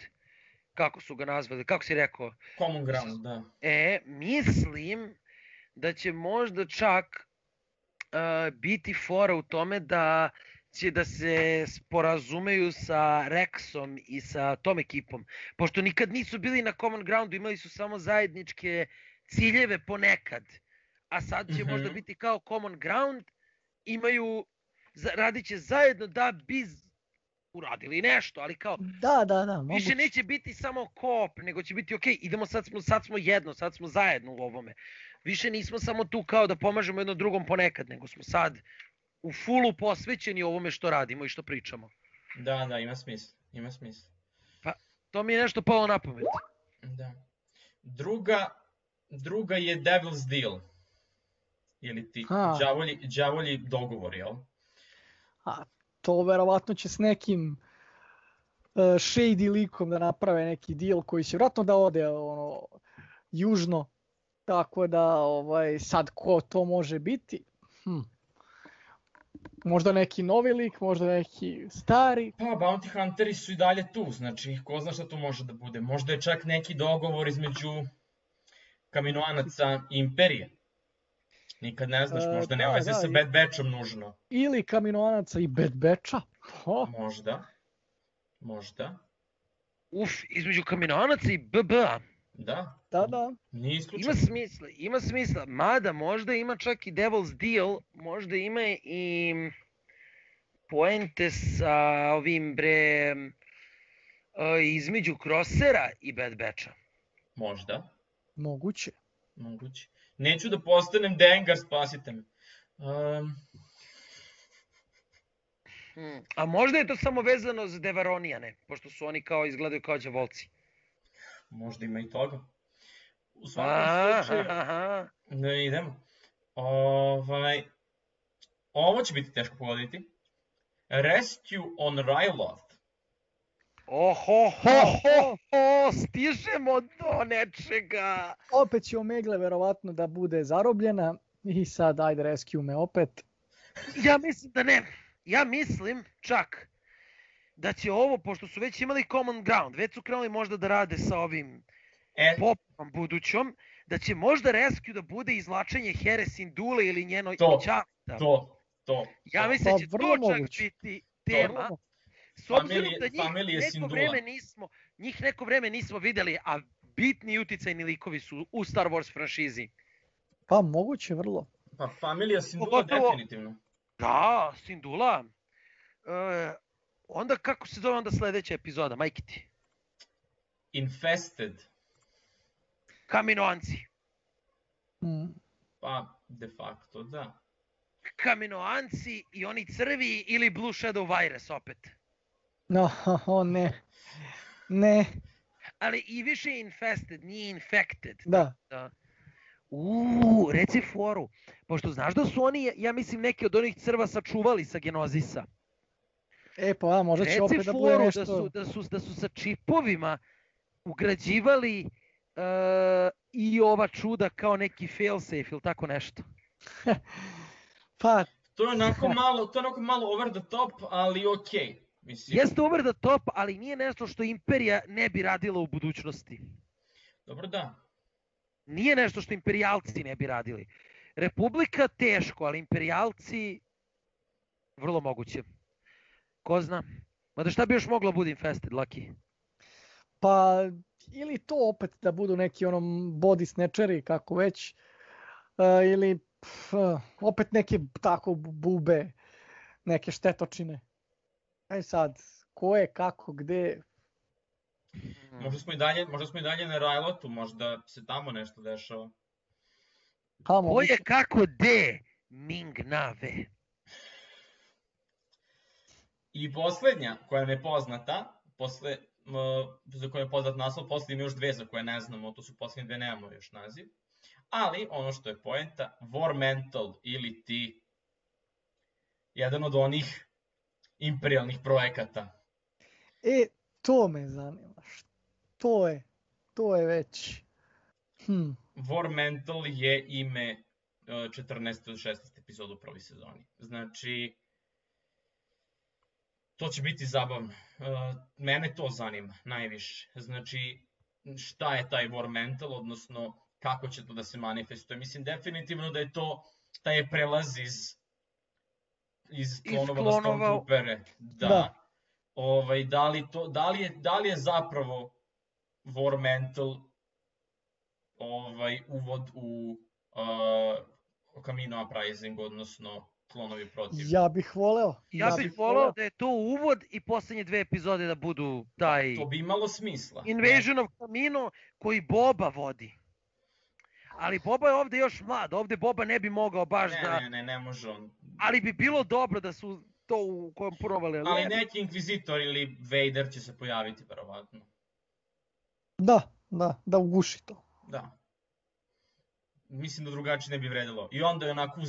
kako su ga nazvali, kako si rekao? Common ground, da. Mislim da će možda čak biti fora u tome da će da se sporazumeju sa Rexom i sa tom ekipom. Pošto nikad nisu bili na common groundu, imali su samo zajedničke ciljeve ponekad. A sad će možda biti kao common ground, radit će zajedno da bi uradili nešto, ali kao Da, više neće biti samo koop, nego će biti ok, idemo sad smo jedno, sad smo zajedno u ovome. Više nismo samo tu kao da pomažemo jedno drugom ponekad, nego smo sad u fullu posvećeni ovome što radimo i što pričamo. Da, ima smisla. Pa, to mi je nešto palo na pamet. Da. Druga je Devil's Deal. Ili ti đavolji dogovor, jel? To verovatno će s nekim shady likom da naprave neki deal koji će vjerojatno da ode južno. Tako da sad ko to može biti? Možda neki novi lik, možda neki stari. Pa, Bounty Hunteri su i dalje tu, znači ko zna šta tu može da bude. Možda je čak neki dogovor između Kaminoanaca i Imperije. Nikad ne znaš, možda nema veze sa Bad Batchom nužno. Ili Kaminoanaca i Bad Batcha. Možda. Između Kaminoanaca i BB-a. Da. Nije isključeno. Ima smisla, mada možda ima čak i Devil's Deal, možda ima i poente sa ovim između Crossera i Bad Batcha. Možda. Moguće. Neću da postanem Dengar, spasite me. A možda je to samo vezano za Devaronijane, pošto su oni kao izgledaju kao đavolci. Možda ima i toga. U svakom slučaju... Da idemo. Ovo će biti teško pogoditi. Rescue on Ryloth. Stižemo do nečega. Opet će Omegle verovatno da bude zarobljena i sad ajde rescue me opet. Ja mislim da ne. Ja mislim čak da će ovo, pošto su već imali common ground, već su krenuli možda da rade sa ovim popom budućom, da će možda rescue da bude izvlačenje Here Syndulle ili njeno ćasta. To. Ja mislim da će to čak biti tema. S obzirom da njih neko vreme nismo videli, a bitni uticajni likovi su u Star Wars franšizi. Pa moguće vrlo. Pa familija Syndulla definitivno. Da, Syndulla. Onda kako se zove onda sledeća epizoda, majke ti? Infested. Kaminoanci. Pa, de facto, da. Kaminoanci i oni crvi ili Blue Shadow Virus opet. Ne. Ali i više infested, nije infected. Da. Reci foru. Pošto znaš da su oni, ja mislim, neki od onih crva sačuvali sa Genozisa. Pa možda će opet da bude nešto. Reci foru da su sa čipovima ugrađivali i ova čuda kao neki failsafe ili tako nešto. Pa... To je onako malo over the top, ali okej. Jeste over the top, ali nije nešto što Imperija ne bi radila u budućnosti. Dobro, da. Nije nešto što imperijalci ne bi radili. Republika teško, ali imperijalci vrlo moguće. Ko zna? Mada šta bi još moglo bude infested, Lucky? Pa, ili to opet da budu neki body snatcheri, kako već, ili opet neke tako bube, neke štetočine. Aj sad, ko je, kako, gde... Možda smo i dalje na Rylotu, možda se tamo nešto dešava. Ko je, kako, gde? Ming Na Ve. I poslednja koja nam je poznata, za koju je poznat naslov, posle ima još dve za koje ne znamo, to su poslednje dve, nemamo još naziv. Ali, ono što je poenta, War Mental ili ti jedan od onih imperijalnih projekata. To me zanima. To je već... War Mental je ime 14. do 16. epizodu u prvoj sezoni. Znači, To će biti zabavno. Mene to zanima najviše. Znači, šta je taj war mental, odnosno kako će to da se manifestuje. Mislim, definitivno da je to taj prelaz iz klonova na Stormtroopere. Da. Da li je zapravo war mental uvod u Kamino Uprising, odnosno klonovi protiv. Ja bih voleo da je to uvod i poslednje 2 epizode da budu taj... To bi imalo smisla. Invasion of Kamino koji Boba vodi. Ali Boba je ovde još mlad, ovde Boba ne bi mogao baš da... Ne može on. Ali bi bilo dobro da su to ukomponovali. Ali neki inkvizitor ili Vader će se pojaviti, verovatno. Da uguši to. Da. Mislim da drugačije ne bi vredilo. I onda je onako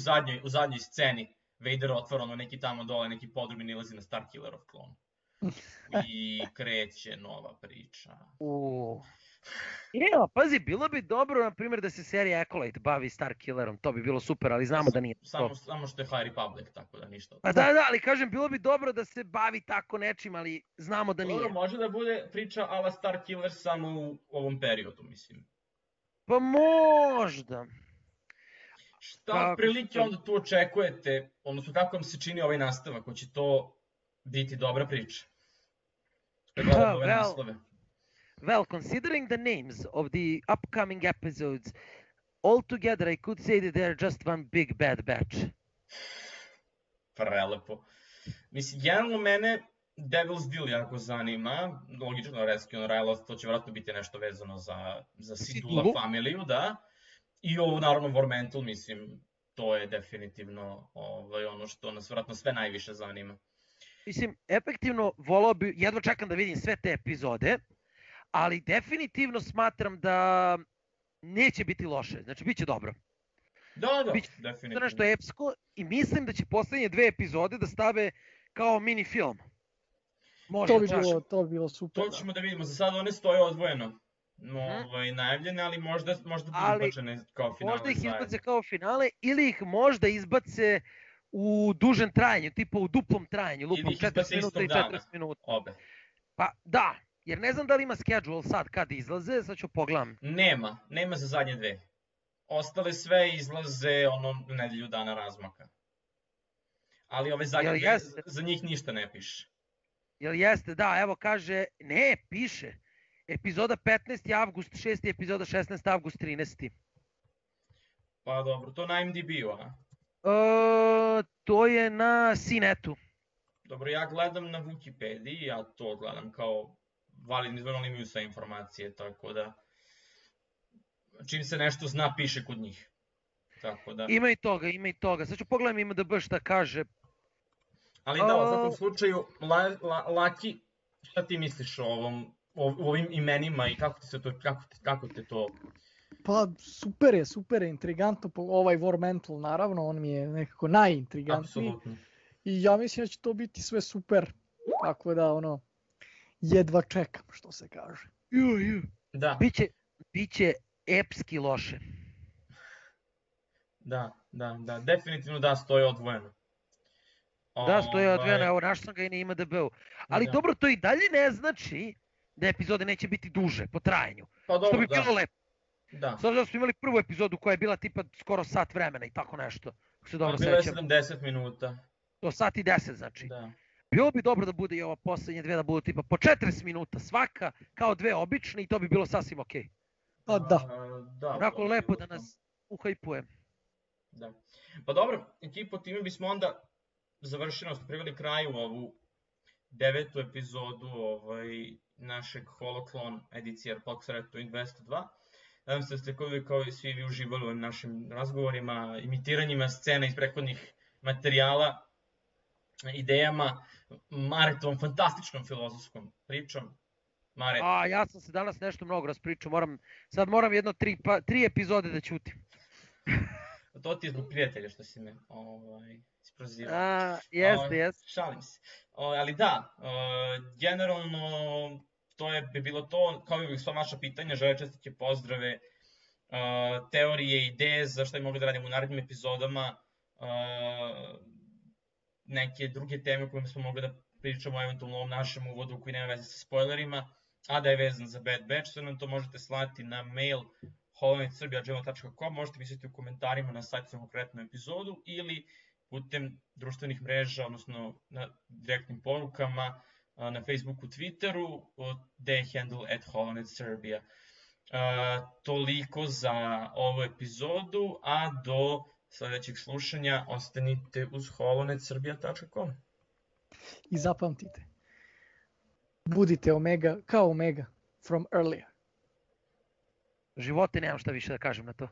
u zadnjoj sceni Vader otvara neki tamo dole, neki podrum i nilazi na Starkillerov klon. I kreće nova priča. Pazi, bilo bi dobro, na primjer, da se serija Acolyte bavi Starkillerom, to bi bilo super, ali znamo da nije to. Samo što je High Republic, tako da ništa. Pa da, ali kažem, bilo bi dobro da se bavi tako nečim, ali znamo da nije. Dobro, može da bude priča a la Starkiller samo u ovom periodu, mislim. Pa možda. Šta prilike onda tu očekujete, odnosno kako vam se čini ovaj nastavak, ko će to biti dobra priča? Well, considering the names of the upcoming episodes, altogether I could say that they're just one big bad batch. Prelepo. Mislim, generalno mene Devil's Deal jako zanima, logično Rescue on Ryloth, to će vjerojatno biti nešto vezano za Sidula familiju, da. I ovo, naravno, War Mental, mislim, to je definitivno ono što nas vjerojatno sve najviše zanima. Mislim, efektivno, volao bi, jedva čekam da vidim sve te epizode, ali definitivno smatram da neće biti loše, znači bit će dobro. Da, definitivno. Nešto epsko i mislim da će poslednje 2 epizode da stave kao mini film. To bi bilo super. To ćemo da vidimo, za sada one stoje odvojeno. Najavljene, ali možda budu izbačene kao finale. Možda ih izbace kao finale ili ih možda izbace u dužem trajanju, tipa u duplom trajanju, lupom 40 minuta i 40 minuta. Obe. Pa da, jer ne znam da li ima schedule sad kad izlaze, sad ću pogledam. Nema za zadnje 2. Ostale sve izlaze nedelju dana razmaka. Ali ove zadnje, za njih ništa ne piše. Jel jeste, da, evo kaže, ne, piše. Epizoda 15. avgust 6. epizoda 16. avgust 13. Pa dobro, to na IMDb-u, a? To je na CNET-u. Dobro, ja gledam na Wikipediji, ja to gledam kao validni izvor, ali imaju sve informacije, tako da čim se nešto zna, piše kod njih. Tako da... Ima i toga. Sad ću pogledam IMDb šta kaže. Ali da, u svakom slučaju, Laki, šta ti misliš o ovim imenima i kako te to... Pa super je, intrigantno, ovaj War Mental naravno, on mi je nekako najintrigantniji. Apsolutno. I ja mislim da će to biti sve super, tako da jedva čekam, što se kaže. Da. Biće epski loše. Da, definitivno da, stoji odvojeno. Da, stoji odvojeno, evo našao sam ga i na IMDb-u. Ali dobro, to i dalje ne znači da epizode neće biti duže po trajanju. Pa dobro, što bi bilo lepo. Da. S obzirom da smo imali prvu epizodu koja je bila tipa skoro sat vremena i tako nešto. Bilo je 70 minuta. To sat i 10 znači. Da. Bilo bi dobro da bude i ova poslednje 2 da budu tipa po 40 minuta svaka, kao 2 obične i to bi bilo sasvim okej. Pa da. Onako lepo da nas uhajpuje. Da. Pa dobro, ekipo, time bismo onda završili, smo priveli kraju ovu 9. epizodu našeg Holoklon edicije Podcast Radio Twin 202. Nadam se da ste kao i svi vi uživali u ovim našim razgovorima, imitiranjima scena iz prethodnih materijala, idejama, Maretovom fantastičnom filozofskom pričom. Mare. Ja sam se danas nešto mnogo raspričao, sad moram jedno 3 epizode da ćutim. To ti je zbog prijatelja što si me isprozirao. Jeste. Šalim se. Ali da, generalno to bi bilo to, kao i sva vaša pitanja, žele čestitke, pozdrave, teorije, ideje za što bi mogli da radimo u narednim epizodama, neke druge teme koje smo mogli da pričamo o eventualno ovom našem uvodu koji nema veze sa spoilerima, a da je vezan za Bad Batch, sve nam to možete slati na mail holonetsrbija@gmail.com, možete misliti u komentarima na sajtu za konkretnu epizodu ili putem društvenih mreža, odnosno na direktnim porukama na Facebooku, Twitteru, gde je handle @holonetserbia. Toliko za ovu epizodu, a do sledećeg slušanja ostanite uz holonetserbia.com. I zapamtite, budite Omega kao Omega from earlier. Živote, nemam šta više da kažem na to.